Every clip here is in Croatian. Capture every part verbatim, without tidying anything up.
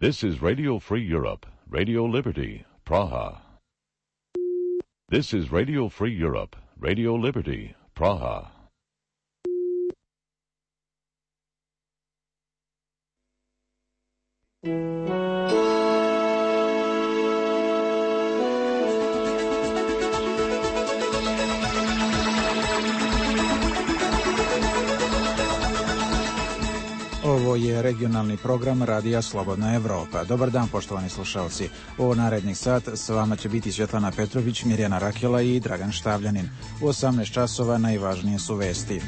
This is Radio Free Europe, Radio Liberty, Praha. This is Radio Free Europe, Radio Liberty, Praha. Ovo je regionalni program Radija Slobodna Evropa. Dobar dan, poštovani slušalci. U narednih sat s vama će biti Svjetlana Petrović, Mirjana Rakela i Dragan Štavljanin. U osamnaest časova najvažnije su vesti.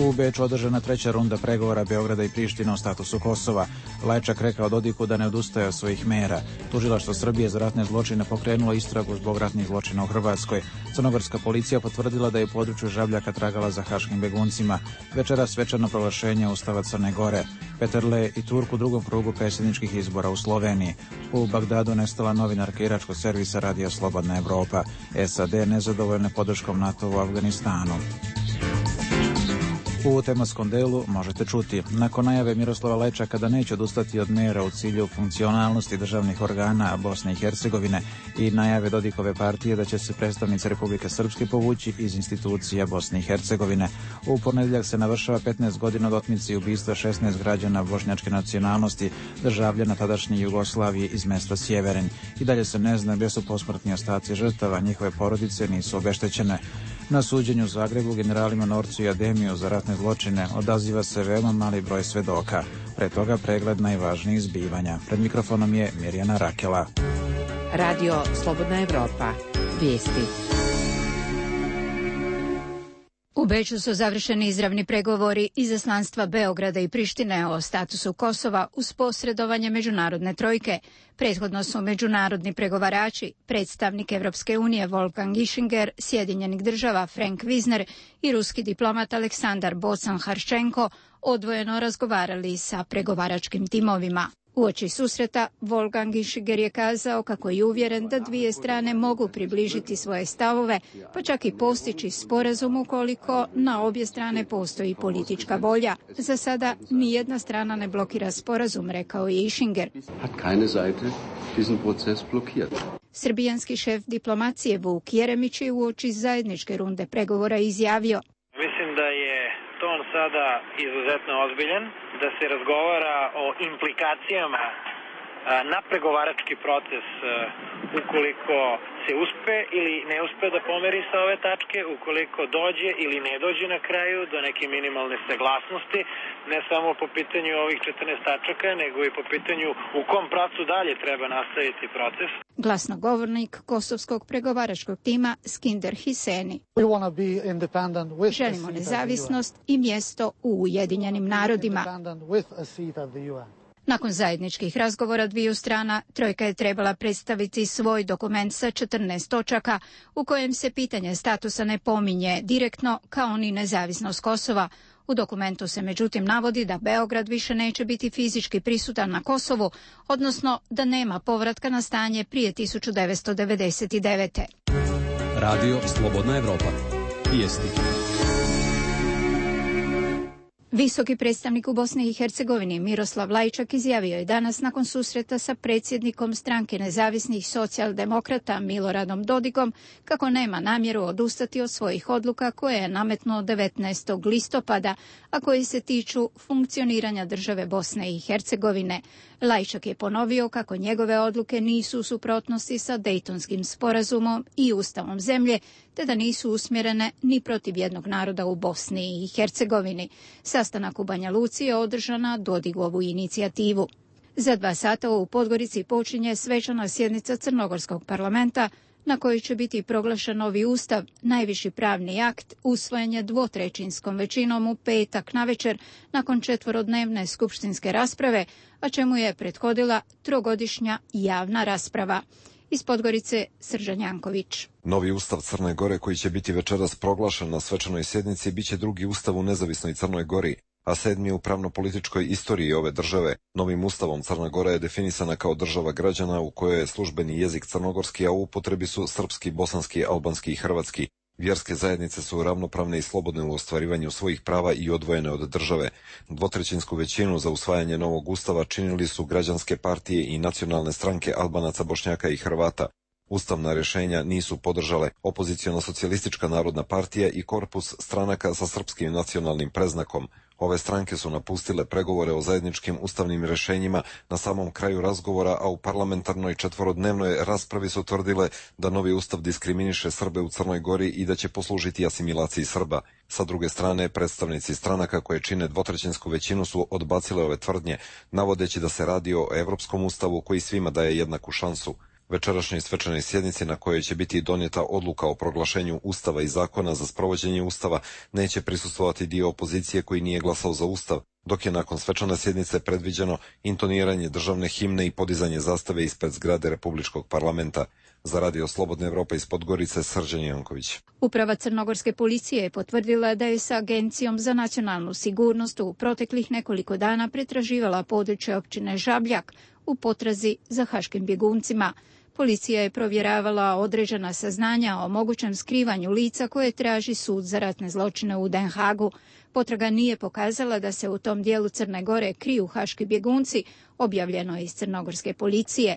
U Beču održana treća runda pregovora Beograda i Prištine o statusu Kosova. Lajčak rekao Dodiku da ne odustaje od svojih mera. Tužilaštvo Srbije za ratne zločine pokrenulo istragu zbog ratnih zločina u Hrvatskoj. Crnogorska policija potvrdila da je u području Žabljaka tragala za haškim beguncima. Večeras svečano proglašenje Ustava Crne Gore. Peterle i Turk u drugom krugu predsjedničkih izbora u Sloveniji. U Bagdadu nestala novinarka iračkog servisa Radija Slobodna Evropa. S A D nezadovoljne podrškom NATO u Afganistanu. U tematskom delu možete čuti, nakon najave Miroslava Lajčaka da neće odustati od mera u cilju funkcionalnosti državnih organa Bosne i Hercegovine i najave Dodikove partije da će se predstavnici Republike Srpske povući iz institucija Bosne i Hercegovine. U ponedjeljak se navršava petnaest godina od otmice i ubistva šesnaest građana bošnjačke nacionalnosti, državljana tadašnje Jugoslavije iz mesta Sjeverin. I dalje se ne zna gdje su posmrtni ostaci žrtava, njihove porodice nisu obeštećene. Na suđenju u Zagrebu generalima Norcu i Ademiju za ratne zločine odaziva se veoma mali broj svedoka. Pre toga pregled najvažnijih zbivanja. Pred mikrofonom je Mirjana Rakela. Radio Slobodna Evropa. Vijesti. U Beču su završeni izravni pregovori izaslanstva Beograda i Prištine o statusu Kosova uz posredovanje međunarodne trojke. Prethodno su međunarodni pregovarači, predstavnik Evropske unije Wolfgang Ischinger, Sjedinjenih država Frank Wisner i ruski diplomat Aleksandar Bocan-Harščenko odvojeno razgovarali sa pregovaračkim timovima. Uoči susreta, Wolfgang Ischinger je kazao kako je uvjeren da dvije strane mogu približiti svoje stavove, pa čak i postići sporazum ukoliko na obje strane postoji politička volja. Za sada nijedna strana ne blokira sporazum, rekao je Ischinger. Srbijanski šef diplomacije Vuk Jeremić je uoči zajedničke runde pregovora izjavio: Mislim da je ton sada izuzetno ozbiljan, da se razgovara o implikacijama na pregovarački proces ukoliko se uspe ili ne uspe da pomeri sa ove tačke, ukoliko dođe ili ne dođe na kraju do neke minimalne saglasnosti, ne samo po pitanju ovih četrnaest tačaka, nego i po pitanju u kom pravcu dalje treba nastaviti proces. Glasnogovornik kosovskog pregovaračkog tima Skinder Hiseni. Želimo nezavisnost i mjesto u Ujedinjenim narodima. Nakon zajedničkih razgovora dviju strana, trojka je trebala predstaviti svoj dokument sa četrnaest točaka u kojem se pitanje statusa ne pominje direktno kao ni nezavisnost Kosova. U dokumentu se međutim navodi da Beograd više neće biti fizički prisutan na Kosovu, odnosno da nema povratka na stanje prije tisuću devetsto devedeset devete. Radio Slobodna Evropa. Vijesti. Visoki predstavnik u Bosni i Hercegovini Miroslav Lajčak izjavio je danas nakon susreta sa predsjednikom stranke nezavisnih socijaldemokrata Miloradom Dodikom kako nema namjeru odustati od svojih odluka koje je nametnuo devetnaestog listopada, a koji se tiču funkcioniranja države Bosne i Hercegovine. Lajčak je ponovio kako njegove odluke nisu u suprotnosti sa Dejtonskim sporazumom i ustavom zemlje, te da nisu usmjerene ni protiv jednog naroda u Bosni i Hercegovini. Sastanak u Banja Luci je održan na Dodigovu inicijativu. Za dva sata u Podgorici počinje svečana sjednica Crnogorskog parlamenta na kojoj će biti proglašen novi ustav, najviši pravni akt, usvojen je dvotrećinskom većinom u petak navečer nakon četvorodnevne skupštinske rasprave, a čemu je prethodila trogodišnja javna rasprava. Iz Podgorice Srđan Janković. Novi ustav Crne Gore koji će biti večeras proglašen na svečanoj sjednici biće drugi ustav u nezavisnoj Crnoj Gori, a sedmi u pravno-političkoj istoriji ove države. Novim ustavom Crna Gora je definisana kao država građana u kojoj je službeni jezik crnogorski, a u upotrebi su srpski, bosanski, albanski i hrvatski. Vjerske zajednice su ravnopravne i slobodne u ostvarivanju svojih prava i odvojene od države. Dvotrećinsku većinu za usvajanje novog ustava činili su građanske partije i nacionalne stranke Albanaca, Bošnjaka i Hrvata. Ustavna rješenja nisu podržale opoziciona socijalistička narodna partija i korpus stranaka sa srpskim nacionalnim preznakom. Ove stranke su napustile pregovore o zajedničkim ustavnim rješenjima na samom kraju razgovora, a u parlamentarnoj četvorodnevnoj raspravi su tvrdile da novi ustav diskriminiše Srbe u Crnoj Gori i da će poslužiti asimilaciji Srba. Sa druge strane, predstavnici stranaka koje čine dvotrećinsku većinu su odbacile ove tvrdnje, navodeći da se radi o evropskom ustavu koji svima daje jednaku šansu. Večerašnjoj svečanoj sjednici na kojoj će biti donijeta odluka o proglašenju ustava i zakona za sprovođenje ustava neće prisustvovati dio opozicije koji nije glasao za ustav, dok je nakon svečane sjednice predviđeno intoniranje državne himne i podizanje zastave ispred zgrade Republičkog parlamenta. Za Radio Slobodne Evrope iz Podgorice, Srđan Janković. Uprava crnogorske policije je potvrdila da je sa Agencijom za nacionalnu sigurnost u proteklih nekoliko dana pretraživala područje općine Žabljak u potrazi za haškim bjeguncima. Policija je provjeravala određena saznanja o mogućem skrivanju lica koje traži sud za ratne zločine u Den Haagu. Potraga nije pokazala da se u tom dijelu Crne Gore kriju haški bjegunci, objavljeno je iz crnogorske policije.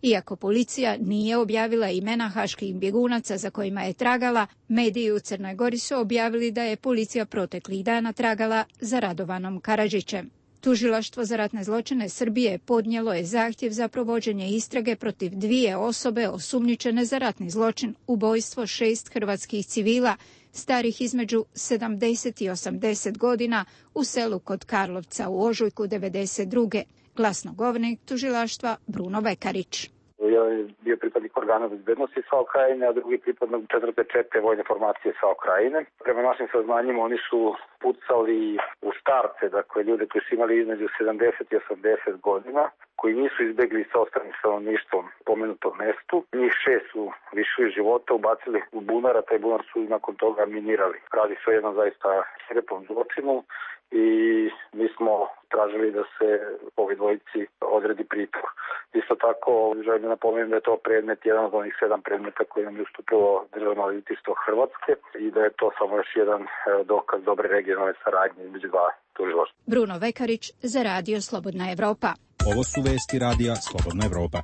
Iako policija nije objavila imena haških bjegunaca za kojima je tragala, mediji u Crnoj Gori su objavili da je policija proteklih dana tragala za Radovanom Karadžićem. Tužilaštvo za ratne zločine Srbije podnijelo je zahtjev za provođenje istrage protiv dvije osobe osumnjičene za ratni zločin, ubojstvo šest hrvatskih civila, starih između sedamdeset i osamdeset godina u selu kod Karlovca u ožujku devedeset druge. Glasnogovornik tužilaštva Bruno Vekarić. Jedan je bio pripadnik organa bezbednosti SAO Krajine, a drugi pripadnik četvrte čete vojne formacije SAO Krajine. Prema našim saznanjima oni su pucali u starce, dakle ljude koji su imali između sedamdeset i osamdeset godina, koji nisu izbegli sa ostalim stanovništvom pomenutom mestu. Njih šest su lišili života, ubacili u bunar, a taj bunar su nakon toga minirali. Radi se o jednom zaista svirepom zločinu i mi smo tražili da se ovi dvojici odredi pritvor. Isto tako želim da napomenem da je to predmet, jedan od onih sedam predmeta koji nam je ustupilo Državno odvjetništvo Hrvatske i da je to samo još jedan dokaz dobre regionalne saradnje između dva tužilaštva. Bruno Vekarić za Radio Slobodna Evropa. Ovo su vesti Radija Slobodna Evropa.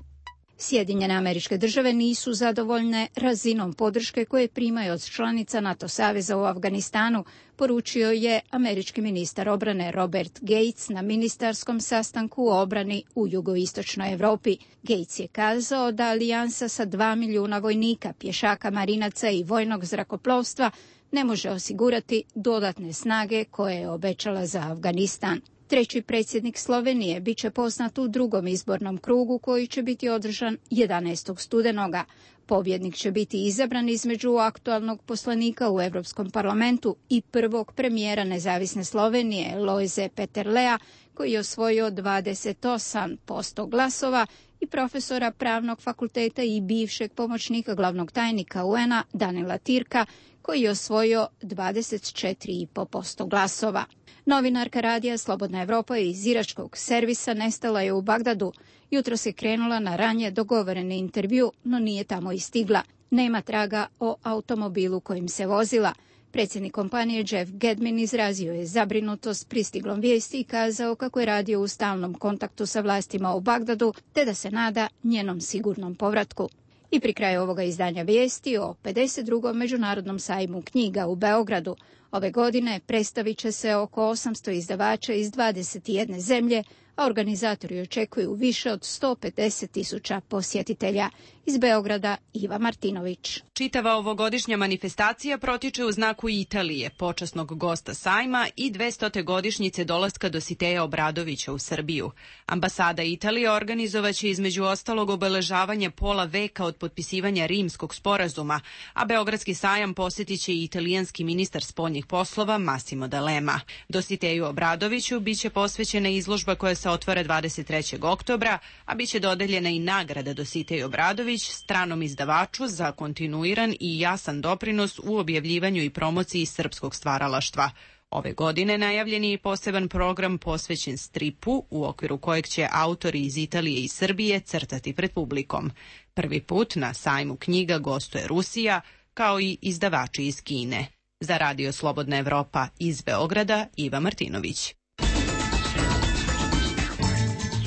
Sjedinjene Američke Države nisu zadovoljne razinom podrške koje primaju od članica NATO saveza u Afganistanu, poručio je američki ministar obrane Robert Gates na ministarskom sastanku o obrani u jugoistočnoj Evropi. Gates je kazao da alijansa sa dva milijuna vojnika, pješaka, marinaca i vojnog zrakoplovstva ne može osigurati dodatne snage koje je obećala za Afganistan. Treći predsjednik Slovenije bit će poznat u drugom izbornom krugu koji će biti održan jedanaestog studenoga. Pobjednik će biti izabran između aktualnog poslanika u Europskom parlamentu i prvog premijera nezavisne Slovenije, Lojze Peterlea, koji je osvojio dvadeset osam posto glasova, i profesora pravnog fakulteta i bivšeg pomoćnika glavnog tajnika U N-a Danila Tirka, koji je osvojio dvadeset četiri zarez pet posto glasova. Novinarka Radija Slobodna Evropa iz iračkog servisa nestala je u Bagdadu. Jutros je krenula na ranije dogovoreni intervju, no nije tamo i stigla. Nema traga o automobilu kojim se vozila. Predsjednik kompanije Jeff Gedmin izrazio je zabrinutost pristiglom vijesti i kazao kako je radio u stalnom kontaktu sa vlastima u Bagdadu, te da se nada njenom sigurnom povratku. I pri kraju ovoga izdanja vijesti o pedeset drugom međunarodnom sajmu knjiga u Beogradu. Ove godine predstavit će se oko osamsto izdavača iz dvadeset jedne zemlje, a organizatori očekuju više od sto pedeset tisuća posjetitelja. Iz Beograda Iva Martinović. Čitava ovogodišnja manifestacija protiče u znaku Italije, počasnog gosta sajma i dvestote godišnjice dolaska Dositeja Obradovića u Srbiju. Ambasada Italije organizovaće između ostalog obeležavanje pola veka od potpisivanja Rimskog sporazuma, a Beogradski sajam posjetit će i italijanski ministar spoljnih poslova Massimo D'Alema. Dositeju Obradoviću biće posvećena izložba koja se otvara dvadeset trećeg oktobra, a biće dodeljena i nagrada Dositej Obradović stranom izdavaču za kontinuiran i jasan doprinos u objavljivanju i promociji srpskog stvaralaštva. Ove godine najavljen je i poseban program posvećen stripu, u okviru kojeg će autori iz Italije i Srbije crtati pred publikom. Prvi put na sajmu knjiga gostuje Rusija, kao i izdavači iz Kine. Za Radio Slobodna Evropa iz Beograda, Iva Martinović.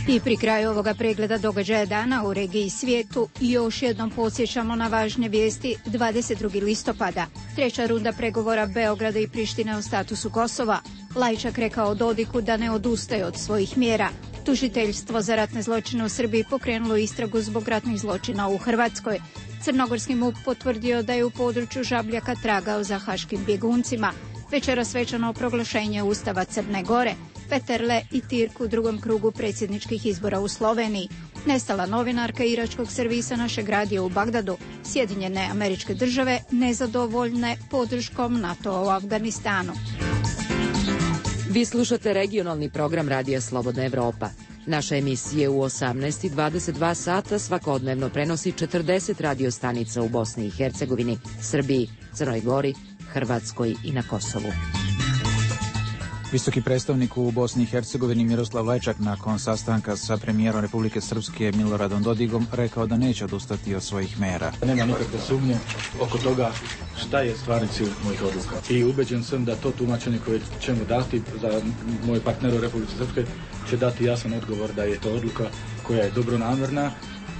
I pri kraju ovoga pregleda događaja dana u regiji i svijetu još jednom podsjećamo na važne vijesti. Dvadeset drugog listopada, treća runda pregovora Beograda i Prištine o statusu Kosova. Lajčak rekao Dodiku da ne odustaje od svojih mjera. Tužiteljstvo za ratne zločine u Srbiji pokrenulo istragu zbog ratnih zločina u Hrvatskoj. Crnogorski M U P potvrdio da je u području Žabljaka tragao za haškim bjeguncima. Večera svečano proglašenje Ustava Crne Gore. Peterle i Tirk u drugom krugu predsjedničkih izbora u Sloveniji. Nestala novinarka iračkog servisa našeg radija u Bagdadu. Sjedinjene Američke Države nezadovoljne podrškom NATO u Afganistanu. Vi slušate regionalni program Radija Slobodna Evropa. Naša emisija u osamnaest i dvadeset dva sata svakodnevno prenosi četrdeset radio stanica u Bosni i Hercegovini, Srbiji, Crnoj Gori, Hrvatskoj i na Kosovu. Visoki predstavnik u Bosni i Hercegovini Miroslav Lajčak nakon sastanka sa premijerom Republike Srpske Miloradom Dodigom rekao da neće odustati od svojih mera. Nema nikakve sumnje oko toga šta je stvarni cilj mojih odluka. I ubeđen sam da to tumačenje koje ćemo dati za moje partnere u Republike Srpske će dati jasan odgovor da je to odluka koja je dobronamjerna,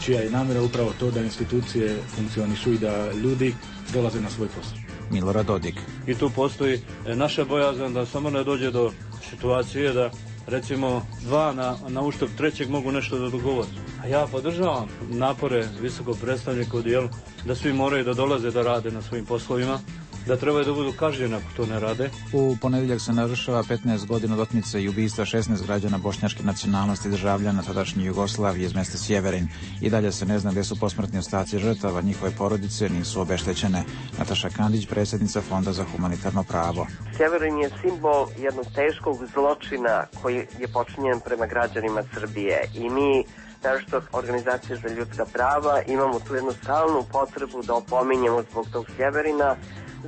čija je namjera upravo to da institucije funkcionišu i da ljudi dolaze na svoj posao. Milorad Dodik. I tu postoji naša bojazan da samo ne dođe do situacije da recimo dva na, na uštrb trećeg mogu nešto da dogovore. A ja podržavam napore visokog predstavnika u dijelu da svi moraju da dolaze da rade na svojim poslovima, da trebaju da budu kažnjeni ako to ne rade. U ponedjeljak se navršava petnaest godina od otmice i ubistva šesnaest građana bošnjačke nacionalnosti državljana tadašnje Jugoslavije iz mjesta Sjeverin. I dalje se ne zna gdje su posmrtni ostaci žrtava, njihove porodice nisu obeštećene. Nataša Kandić, predsjednica Fonda za humanitarno pravo. Sjeverin je simbol jednog teškog zločina koji je počinjen prema građanima Srbije i mi naročito organizacije za ljudska prava imamo tu jednu stalnu potrebu da opominjemo zbog tog Sjeverina,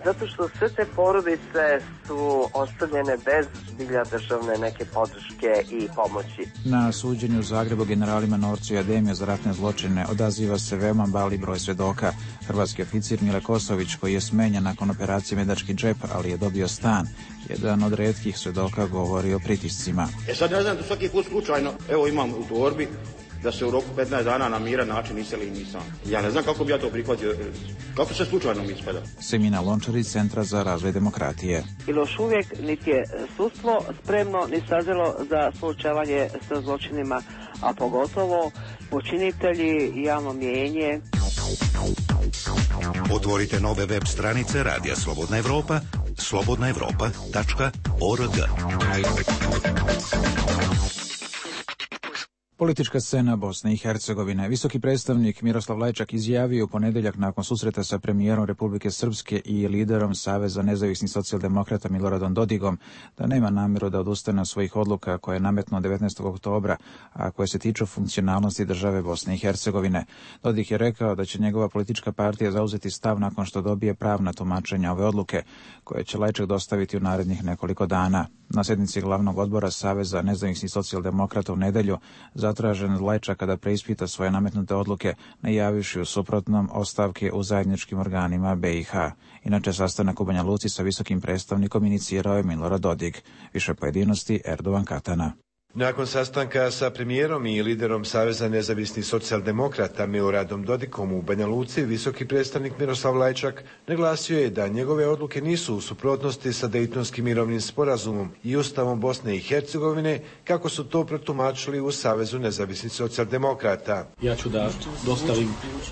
zato što sve te porodice su ostavljene bez zbilja državne neke podrške i pomoći. Na suđenju u Zagrebu generalima Norcu i Ademija za ratne zločine odaziva se veoma mali broj svedoka. Hrvatski oficir Mile Kosović, koji je smenjen nakon operacije Medački džep, ali je dobio stan, jedan od retkih svedoka govori o pritiscima. E sad ne znam da svaki put slučajno, evo imam u torbi, da se u roku petnaest dana na miran način iseli i nisam. Ja ne znam kako bi ja to prihvatio, kako se slučajno mi ispada. Semina Lončarić, Centra za razvoj demokratije. Ili još uvijek niti je sudstvo spremno ni sazrelo za suočavanje sa zločinima, a pogotovo počinitelji i javno mijenje. Otvorite nove web stranice Radija Slobodna Evropa, slobodna evropa tačka org. Politička scena Bosne i Hercegovine. Visoki predstavnik Miroslav Lajčak izjavio u ponedjeljak nakon susreta sa premijerom Republike Srpske i liderom Saveza nezavisnih socijaldemokrata Miloradom Dodigom da nema namjeru da odustane od svojih odluka koje je nametnuo devetnaestog oktobra, a koje se tiču funkcionalnosti države Bosne i Hercegovine. Dodik je rekao da će njegova politička partija zauzeti stav nakon što dobije pravna tumačenja ove odluke, koje će Lajčak dostaviti u narednih nekoliko dana. Na sjednici glavnog odbora Saveza nezavisnih socijaldemokrata u nedjelju zatražen od Lajčaka da preispita svoje nametnute odluke, najavivši u suprotnom ostavke u zajedničkim organima B i H. Inače, sastanak u Banja Luci sa visokim predstavnikom inicirao je Milorad Dodik. Više pojedinosti Erdogan Katana. Nakon sastanka sa premijerom i liderom Saveza nezavisnih socijaldemokrata Miloradom Dodikom u Banja Luci, visoki predstavnik Miroslav Lajčak naglasio je da njegove odluke nisu u suprotnosti sa Dejtonskim mirovnim sporazumom i Ustavom Bosne i Hercegovine, kako su to protumačili u Savezu nezavisnih socijaldemokrata. Ja ću da dostavim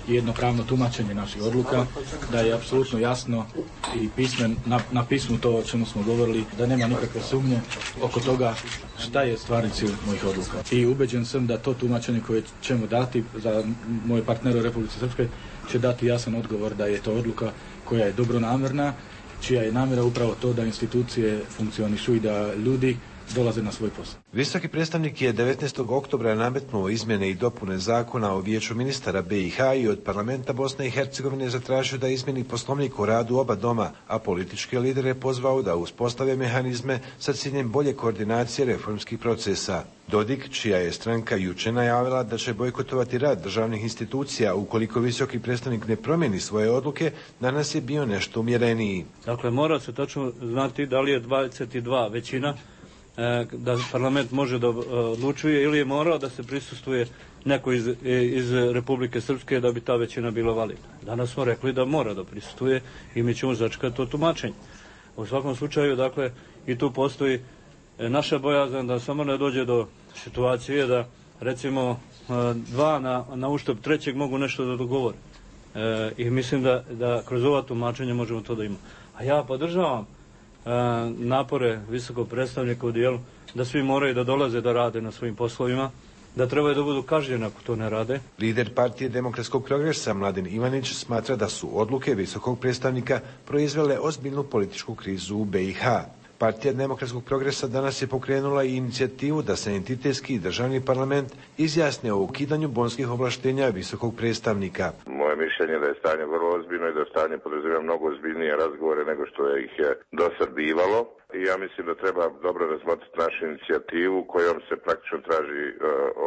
jedno pravno tumačenje naših odluka, da je apsolutno jasno i pismen, na, na pismu to o čemu smo govorili, da nema nikakve sumnje oko toga šta je stvarni cilj mojih odluka. I ubeđen sam da to tumačenje koje ćemo dati za moje partnere u Republike Srpske će dati jasan odgovor da je to odluka koja je dobronamjerna, čija je namjera upravo to da institucije funkcionišu i da ljudi dolaze na svoj posao. Visoki predstavnik je devetnaestog oktobra nametnuo izmjene i dopune zakona o vijeću ministara B i H i od parlamenta Bosne i Hercegovine zatražio da izmjeni poslovnik o radu oba doma, a političke lidere pozvao da uspostave mehanizme sa ciljem bolje koordinacije reformskih procesa. Dodik, čija je stranka juče najavila da će bojkotovati rad državnih institucija ukoliko visoki predstavnik ne promijeni svoje odluke, danas je bio nešto umjereniji. Dakle, mora se tačno znati da li je dvadeset dva većina da parlament može da odlučuje ili je morao da se prisustvuje neko iz, iz Republike Srpske da bi ta većina bila validna. Danas smo rekli da mora da prisustvuje i mi ćemo začekati to tumačenje. U svakom slučaju, dakle, i tu postoji naša bojazan da samo ne dođe do situacije da, recimo, dva na, na uštrb trećeg mogu nešto da dogovore. E, I mislim da, da kroz ova tumačenja možemo to da imamo. A ja podržavam napore visokog predstavnika u dijelu da svi moraju da dolaze da rade na svojim poslovima, da trebaju da budu kažnjeni ako to ne rade. Lider partije Demokratskog progresa Mladen Ivanić smatra da su odluke visokog predstavnika proizvele ozbiljnu političku krizu u B i H. Partija Demokratskog progresa danas je pokrenula i inicijativu da se entitetski državni parlament izjasne o ukidanju bonskih ovlaštenja visokog predstavnika. Moje mišljenje je da je stanje vrlo ozbiljno i da stanje podrazumijeva mnogo ozbiljnije razgovore nego što je ih je do sad bivalo. I ja mislim da treba dobro razmotriti našu inicijativu kojom se praktično traži uh,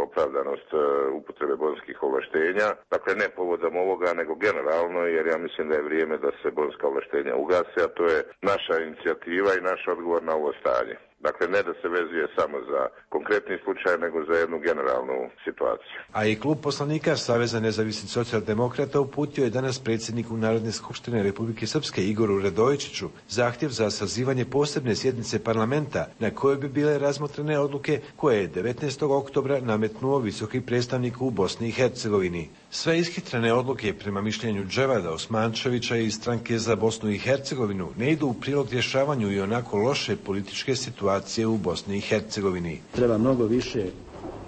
opravdanost uh, upotrebe bonskih ovlaštenja. Dakle, ne povodom ovoga, nego generalno, jer ja mislim da je vrijeme da se bonska ovlaštenja ugase, a to je naša inicijativa i naš odgovor na ovo stanje. Dakle, ne da se vezuje samo za konkretni slučaj, nego za jednu generalnu situaciju. A i klub poslanika Saveza nezavisnih socijaldemokrata uputio je danas predsjedniku Narodne skupštine Republike Srpske Igoru Radojičiću zahtjev za sazivanje posebne sjednice parlamenta na kojoj bi bile razmotrene odluke koje je devetnaestog oktobra nametnuo visoki predstavnik u Bosni i Hercegovini. Sve ishitrene odluke prema mišljenju Dževada Osmančevića iz stranke za Bosnu i Hercegovinu ne idu u prilog rješavanju i onako loše političke situacije u Bosni i Hercegovini. Treba mnogo više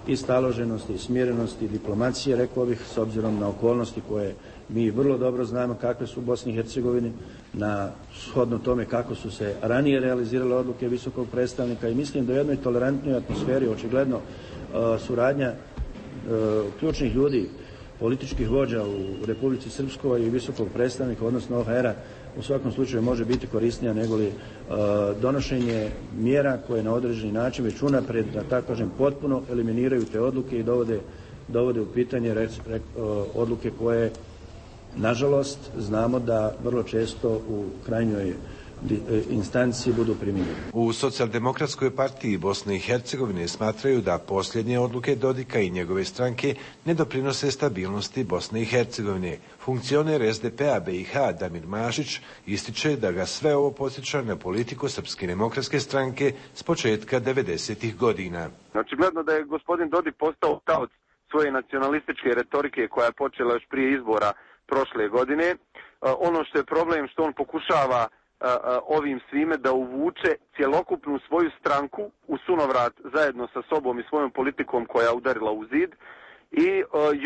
i staloženosti, i smjerenosti, i diplomacije, rekao bih, s obzirom na okolnosti koje mi vrlo dobro znamo kakve su u Bosni i Hercegovini, na shodno tome kako su se ranije realizirale odluke visokog predstavnika i mislim da u jednoj tolerantnoj atmosferi očigledno suradnja ključnih ljudi, političkih vođa u Republici Srpskoj i visokog predstavnika, odnosno O H R-a, u svakom slučaju može biti korisnija nego li uh, donošenje mjera koje na određeni način već unapred, da tako kažem, potpuno eliminiraju te odluke i dovode, dovode u pitanje rec, rec, uh, odluke koje, nažalost, znamo da vrlo često u krajnjoj instanci budu primjenjene. U Socijaldemokratskoj partiji Bosne i Hercegovine smatraju da posljednje odluke Dodika i njegove stranke ne doprinose stabilnosti Bosne i Hercegovine. Funkcioner S D P-a B i H Damir Mašić ističe da ga sve ovo podsjeća na politiku Srpske demokratske stranke s početka devedesetih godina. Znači, gledno da je gospodin Dodik postao taoc svoje nacionalističke retorike koja je počela još prije izbora prošle godine. Ono što je problem što on pokušava ovim svime da uvuče cjelokupnu svoju stranku u sunovrat zajedno sa sobom i svojom politikom koja je udarila u zid i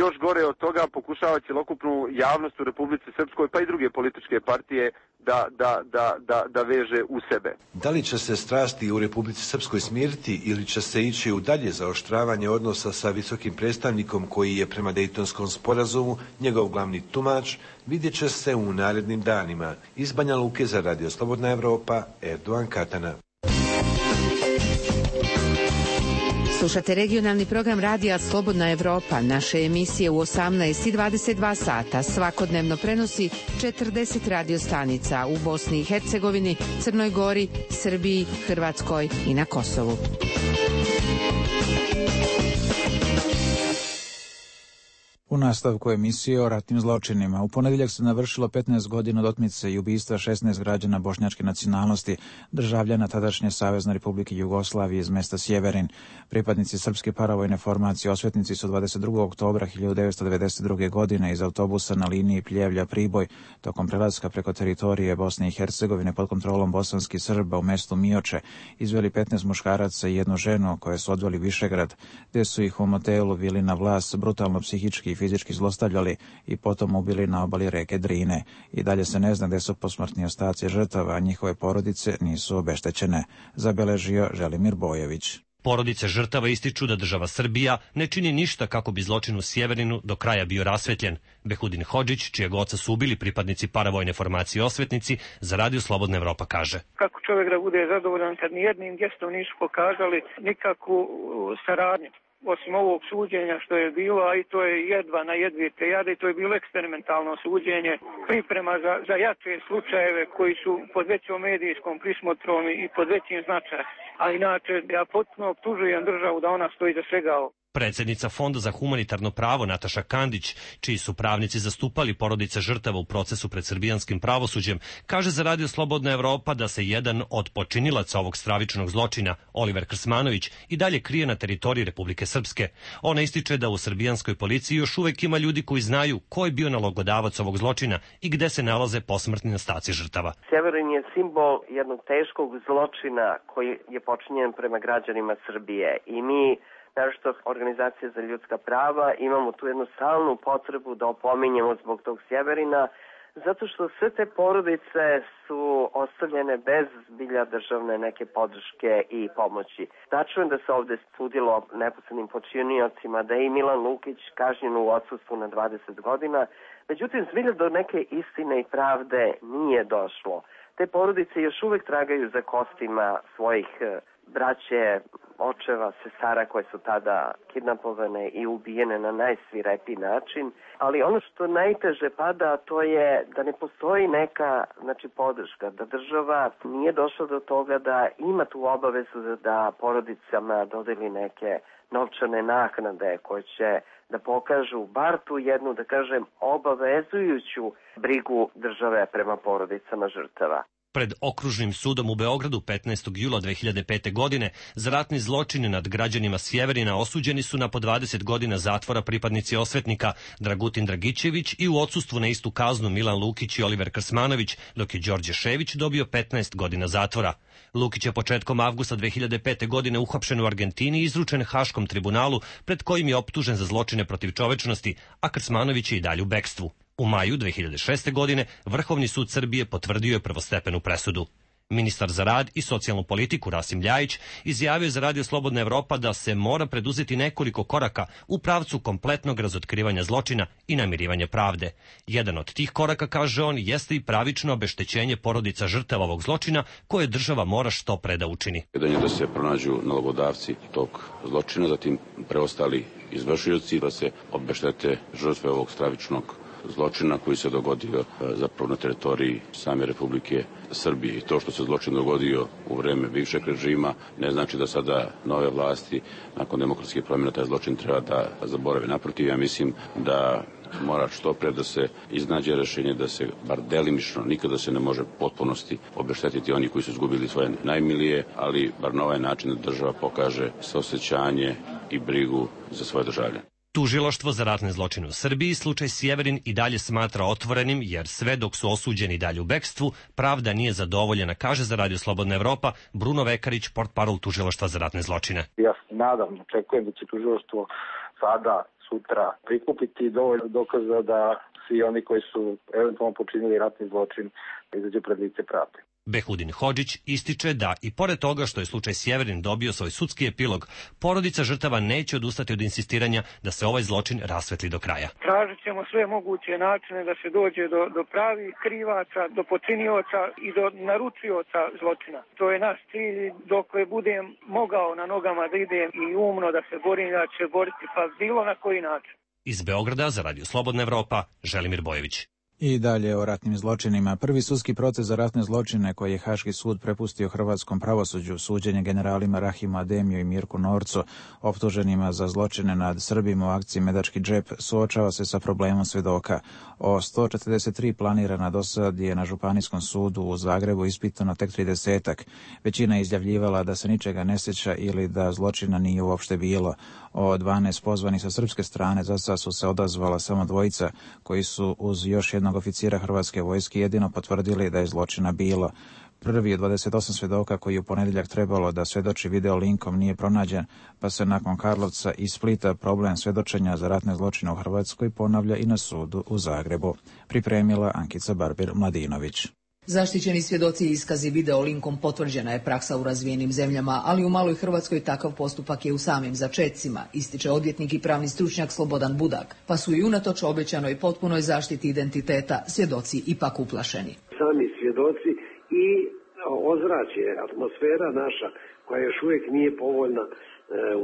još gore od toga pokušava cjelokupnu javnost u Republici Srpskoj pa i druge političke partije da, da, da, da, da veže u sebe. Da li će se strasti u Republici Srpskoj smiriti ili će se ići u dalje zaoštravanje odnosa sa visokim predstavnikom koji je prema Dejtonskom sporazumu njegov glavni tumač, vidjet će se u narednim danima. Iz Banja Luke za Radio Slobodna Evropa, Erdogan Katana. Slušate regionalni program Radija Slobodna Evropa. Naše emisije u osamnaest i dvadeset dva sata svakodnevno prenosi četrdeset radio stanica u Bosni i Hercegovini, Crnoj Gori, Srbiji, Hrvatskoj i na Kosovu. U nastavku emisije o ratnim zločinima. U ponedjeljak se navršilo petnaest godina od otmice i ubistva šesnaest građana bošnjačke nacionalnosti, državljana tadašnje Savezne Republike Jugoslavije iz mesta Sjeverin. Pripadnici srpske paravojne formacije Osvetnici su dvadeset drugog oktobra hiljadu devetsto devedeset druge. godine iz autobusa na liniji Pljevlja-Priboj tokom prelaska preko teritorije Bosne i Hercegovine pod kontrolom bosanskih Srba u mestu Mioče izveli petnaest muškaraca i jednu ženu koje su odveli Višegrad, gdje su ih u motelu Vilina Vlas brutalno psihički i fizički zlostavljali i potom ubili na obali reke Drine. I dalje se ne zna gde su posmrtni ostaci žrtava, a njihove porodice nisu obeštećene, zabeležio Želimir Bojević. Porodice žrtava ističu da država Srbija ne čini ništa kako bi zločin u Sjeverinu do kraja bio rasvetljen. Behudin Hodžić, čijeg oca su ubili pripadnici paravojne formacije Osvetnici, za Radio Slobodna Evropa kaže: Kako čovjek da bude zadovoljan kad ni jednim gestom nisu pokazali nikakvu saradnju, osim ovog suđenja što je bilo, a i to je jedva na jedvite jade, to je bilo eksperimentalno suđenje, priprema za, za jače slučajeve koji su pod većom medijskom prismotrom i pod većim značajem. A inače, ja potpuno optužujem državu da ona stoji za svega ovo. Predsjednica Fonda za humanitarno pravo Nataša Kandić, čiji su pravnici zastupali porodice žrtava u procesu pred srbijanskim pravosuđem, kaže za Radio Slobodna Evropa da se jedan od počinilaca ovog stravičnog zločina, Oliver Krsmanović, i dalje krije na teritoriji Republike Srpske. Ona ističe da u srbijanskoj policiji još uvek ima ljudi koji znaju ko je bio nalogodavac ovog zločina i gde se nalaze posmrtni ostaci žrtava. Sjeverin je simbol jednog teškog zločina koji je počinjen prema građanima Srbije i mi, naročito organizacije za ljudska prava, imamo tu jednu stalnu potrebu da opominjemo zbog tog Sjeverina, zato što sve te porodice su ostavljene bez zbilja državne neke podrške i pomoći. Tačno je da se ovde sudilo neposrednim počiniocima, da je i Milan Lukić kažnjen u odsustvu na dvadeset godina, međutim zbilja do neke istine i pravde nije došlo. Te porodice još uvek tragaju za kostima svojih braće, očeva, sestara koje su tada kidnapovane i ubijene na najsvirepiji način, ali ono što najteže pada to je da ne postoji neka znači, podrška, da država nije došla do toga da ima tu obavezu da porodicama dodeli neke novčane naknade koje će da pokažu bar tu jednu, da kažem, obavezujuću brigu države prema porodicama žrtava. Pred Okružnim sudom u Beogradu petnaestog jula dve hiljade pete. godine za ratni zločin nad građanima Sjeverina osuđeni su na po dvadeset godina zatvora pripadnici Osvetnika Dragutin Dragićević i u odsustvu na istu kaznu Milan Lukić i Oliver Krsmanović, dok je Đorđe Šević dobio petnaest godina zatvora. Lukić je početkom avgusta dve hiljade pete. godine uhapšen u Argentini i izručen Haškom tribunalu, pred kojim je optužen za zločine protiv čovečnosti, a Krsmanović je i dalje u bekstvu. U maju dve hiljade šeste. godine Vrhovni sud Srbije potvrdio je prvostepenu presudu. Ministar za rad i socijalnu politiku Rasim Ljajić izjavio je za Radio Slobodna Evropa da se mora preduzeti nekoliko koraka u pravcu kompletnog razotkrivanja zločina i namirivanja pravde. Jedan od tih koraka, kaže on, jeste i pravično obeštećenje porodica žrtava ovog zločina koje država mora što pre da učini. Jedan je da se pronađu nalogodavci tog zločina, zatim preostali izvršioci, da se obeštete žrtve ovog stravičnog zločina koji se dogodio zapravo na teritoriji same Republike Srbije. I to što se zločin dogodio u vreme bivšeg režima ne znači da sada nove vlasti nakon demokratske promjene taj zločin treba da zaborave. Naprotiv, ja mislim da mora što pre da se iznađe rešenje da se bar delimično, nikada se ne može potpunosti obeštetiti oni koji su izgubili svoje najmilije, ali bar na ovaj način da država pokaže saosećanje i brigu za svoje državljane. Tužilaštvo za ratne zločine u Srbiji slučaj Sjeverin i dalje smatra otvorenim, jer sve dok su osuđeni dalje u bekstvu, pravda nije zadovoljena, kaže za Radio Slobodna Evropa Bruno Vekarić, portparol Tužilaštva za ratne zločine. Ja se nadam, očekujem da će tužilaštvo sada, sutra prikupiti dovoljno dokaza da svi oni koji su eventualno počinili ratni zločin izađu pred lice pravde. Behudin Hodžić ističe da i pored toga što je slučaj Sjeverin dobio svoj sudski epilog, porodica žrtava neće odustati od insistiranja da se ovaj zločin rasvetli do kraja. Tražit ćemo sve moguće načine da se dođe do, do pravih krivaca, do počinioca i do naručioca zločina. To je naš cilj, dokle budem mogao na nogama da idem i umno da se borim, da će boriti, pa bilo na koji način. Iz Beograda za Radio Slobodna Evropa, Želimir Bojević. I dalje o ratnim zločinima. Prvi sudski proces za ratne zločine koji je Haški sud prepustio hrvatskom pravosuđu, suđenje generalima Rahimu Ademiju i Mirku Norcu, optuženima za zločine nad Srbima u akciji Medački džep, suočava se sa problemom svedoka. O sto četrdeset tri planirana dosad je na Županijskom sudu u Zagrebu ispitano tek tridesetak. Većina je izjavljivala da se ničega ne sjeća ili da zločina nije uopšte bilo. O dvanaest pozvanih sa srpske strane za sad su se odazvala samo dvojica koji su uz još jednog oficira Hrvatske vojske jedino potvrdili da je zločina bilo. Prvi od dvadeset osam svjedoka koji je u ponedjeljak trebalo da svjedoči video linkom nije pronađen, pa se nakon Karlovca i Splita problem svjedočenja za ratne zločine u Hrvatskoj ponavlja i na sudu u Zagrebu. Pripremila Ankica Barbir-Mladinović. Zaštićeni svjedoci i iskazi video linkom potvrđena je praksa u razvijenim zemljama, ali u maloj Hrvatskoj takav postupak je u samim začecima, ističe odvjetnik i pravni stručnjak Slobodan Budak, pa su i unatoč obećanoj potpunoj zaštiti identiteta svjedoci ipak uplašeni. Sami svjedoci i ozračje, atmosfera naša koja još uvijek nije povoljna